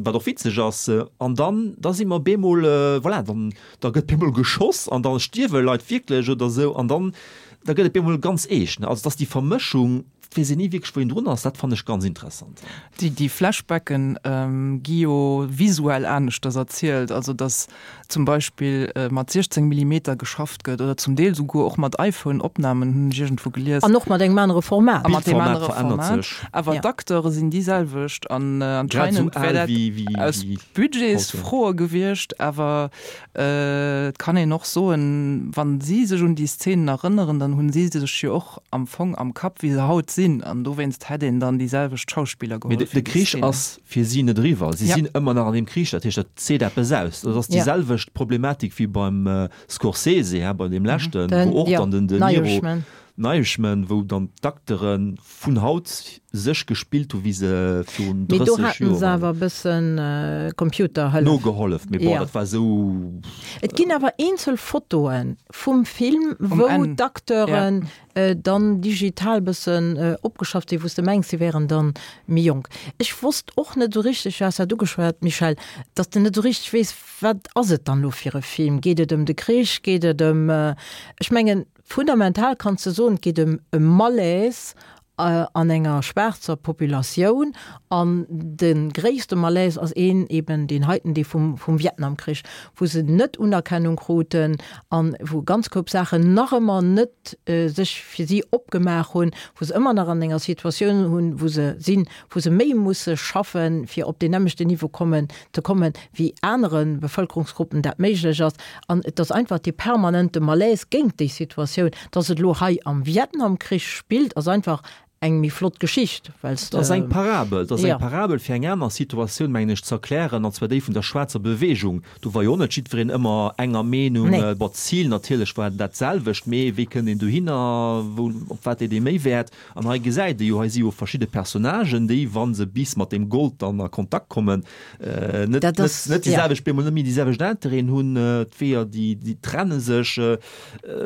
wat och witzeg ass. An dann, da si mer bemol, voilà, dann, da gëtt bemol geschoss an da stierwe Leit wierklech oder sou an dann, da gëtt et bemol ganz eescht, ne. Also, dass déi Vermëschung, et weess een ni wierklech, wou een drun ass, dat fannen ech ganz interessant. Déi, déi Flashbacken gi jo visuell aneschters erzielt, also dass zum Beispill mat siechzéng Millimeter geschafft gëtt oder zum Deel souguer och mat iPhone-Opnamen, hunn ech iergendwou gelies. An och mat engem anere Format. A mat deem D'Bildformat anere verännert Format. sech. Awer Ja. d'Acteure sinn déi selwecht an Grad esou anscheinend wär al dat wéi, wéi, aus wéi haut, jo. Budgetsfroe gewiescht, awer et kann een och soen, wann si sech un déi Szenen erënneren, dann hunn si sech jo och am Fong am Kapp, wéi se haut sinn, an dowéinst hätt een dann déi selwecht Schauspiller Mee geholl de fir déi Krich Szenen. ass fir si net eriwwer. Si Ja. sinn ëmmer nach an deem Krich. Dat heescht, dat seet eppes aus. Dat ass déi Ja. selwecht Problematik wéi beim Scorsese, hä, bei deem leschten, Den, wou och ja, dann den De Niro, Irishman. Irishman, wou dann d'Acteure vun haut sech gespillt hu wéi se virun Mee do drësseg haten Joer se awer e bëssen Computerhëllef. Nogehollef, mee bon, Ja. dat war esou. Et ginn awer eenzel Fotoe vum Film, Um wou Enn. d'Acteuren Ja. dann digital bëssen opgeschafft sinn, wou s de mengs, si wären dann méi jonk. Ech wosst och net esou richteg, du has dat ugeschwat, Michèle, datt s de net esou richteg weess, wat ass et dann elo fir e Film? Geet et ëm de Krich? Geet et ëm, ech mengen, fundamental kanns de soen, et geet ëm e Malaise an enger schwaarzer Populatioun an de gréisste Malaise ass een eben deen heiten, dee vum, vum Vietnamkrich, wou se net Unerkennung kruten an wou ganz Koup Saachen nach ëmmer net sech fir si opgemaach hunn, wou se ëmmer nach an enger Situatioun hunn, wou se sinn, wou se méi musse schaffen, fir op deen nämmlechten Niveau kommen, ze kommen, wéi anere Bevëlkerungsgruppen dat méiglech ass. An et ass einfach dee permanente Malaise géint déi Situatioun. Dass et elo hei am Vietnamkrich spillt, ass einfach eng méi flott Geschicht, well s Dat ass eng de. Parabel, dat ass eng Ja. Parabel fir eng aner Situatioun, mengen ech, ze erklären, an zwar déi vun der schwaarzer Beweegung. Do war jo och net jiddwereen ëmmer enger Meenung. Nee. Bon, d'Zil natierlech war dat selwecht, mee wéi kënnt een dohinner, wou, op wat leet ee méi Wäert? An hei gesäit ee jo, hei si jo verschidde Personnagen, déi, wa se bis mat deem Gold dann a Kontakt kommen, net, Dat net, ass, net déi ja. selwecht, bemol net méi déi selwecht Interêten hunn, d'Weeër, déi, déi trenne sech.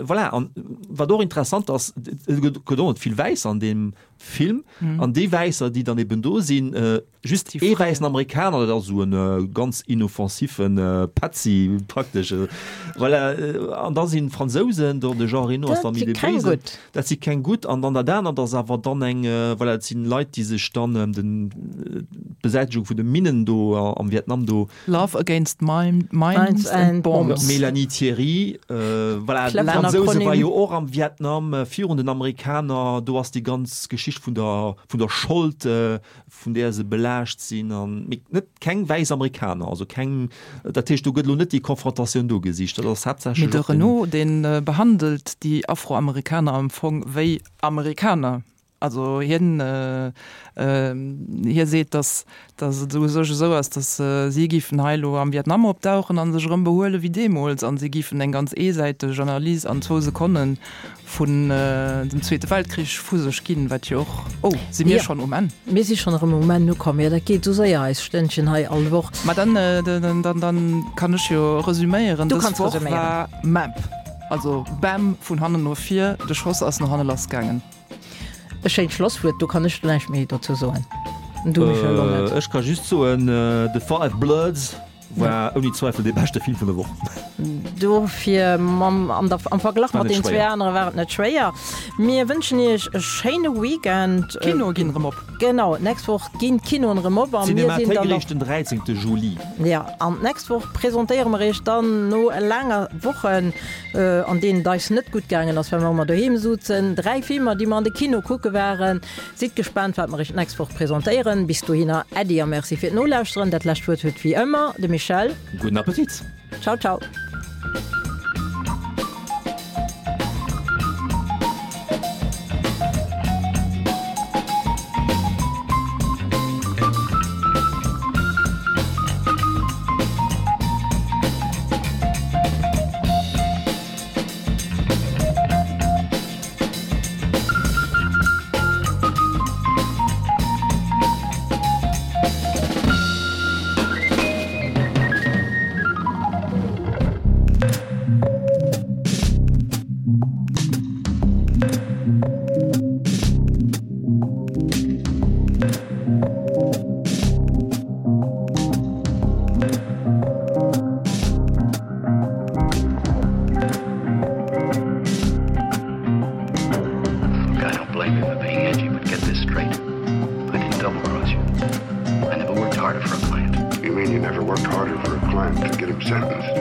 Voilà, an wat och interessant ass, et gëtt och net vill Wäisser an deem Film mhm. an déi Wäisser, déi dann eben do sinn, äh, just ee wäissen Amerikaner, dat ass esou en äh, ganz inoffensiven äh, Petzi praktesch. Äh, voilà, äh, an da sinn Fransousen, do de Jean Reno ass Dat dann si méi de keng Béisen. gutt. Dat si keng gutt. An dann dat anert ass awer dann eng, äh, voilà, dat sinn Leit, déi sech dann ëm den äh, d'Besäitegung vun de Minnen do äh, am Vietnam do Love against mine, mines Mines and and bombs. bombs. Mélanie Thierry, äh, voilà, Clever d'Fransouse war Akronym. jo och am Vietnam äh, virun den Amerikaner, do ass déi ganz Geschicht vun der, vun der Schold, äh, vun där se belaascht sinn an mee net keng wäiss Amerikaner, also keng, dat heescht do gëtt lo net déi Konfrontatioun do gesicht, dat ass Mee haaptsächlech de och den. Renault, deen äh, behandelt déi Afroamerikaner am Fong wéi Amerikaner. Also hien äh, äh, hie seet, dass, dass et u sech esou ass, dass äh, si giffen hei lo am Vietnam opdauchen an sech erëm behuele wéi deemools an si giffen eng ganz eesäiteg Analys an zwou Sekonnen vun äh, dem Zweete Weltkrich vu sech ginn, wat jo och oh, si mir Ja. schonn um Enn. Mir si schonn erëm um Enn ukomm. Jo, dat geet sou séier, eis Stënnchen hei all Woch. Ma dann, äh, dann, dann, dann kann ech jo resüméieren. Du Dës kanns Woch resüméieren. war MAMP. Also bam vun hannen no vir, de Schoss ass no hanne lassgaangen. E schéint Schlosswuert, do kann ech näischt méi dozou soen. Du, Michel, och net. Äh, ech ka just soen, äh, The Five Bloods war ouni Zweifel dee beschte Film vun der Woch. Dofir mam, an der, am Verglach War mat net den zwee schwéier. anere war et net schwéier. Mir wënschen iech e schéine Weekend. D'Kinoe ginn erëm op. Genau, d'nächst Woch ginn d'Kinoen erëm op a mir sinn Cinemathéik dann och. eréischt den dräizéngte Juli. Ja, an d'nächst Woch presentéiere mer iech dann no laanger Wochen, an deenen et eis net gutt gaangen ass, well mer ëmmer doheem souzen, dräi Filmer, déi mer an de Kino kucke waren. Sidd gespaant, wat mer iech d'nächst Woch presentéieren. Bis dohinner, Äddi a Merci fir d'Nolauschteren. Dat lescht Wuert huet wéi ëmmer de Michel. Gudden Appetit! Ciao, ciao! Pretenders.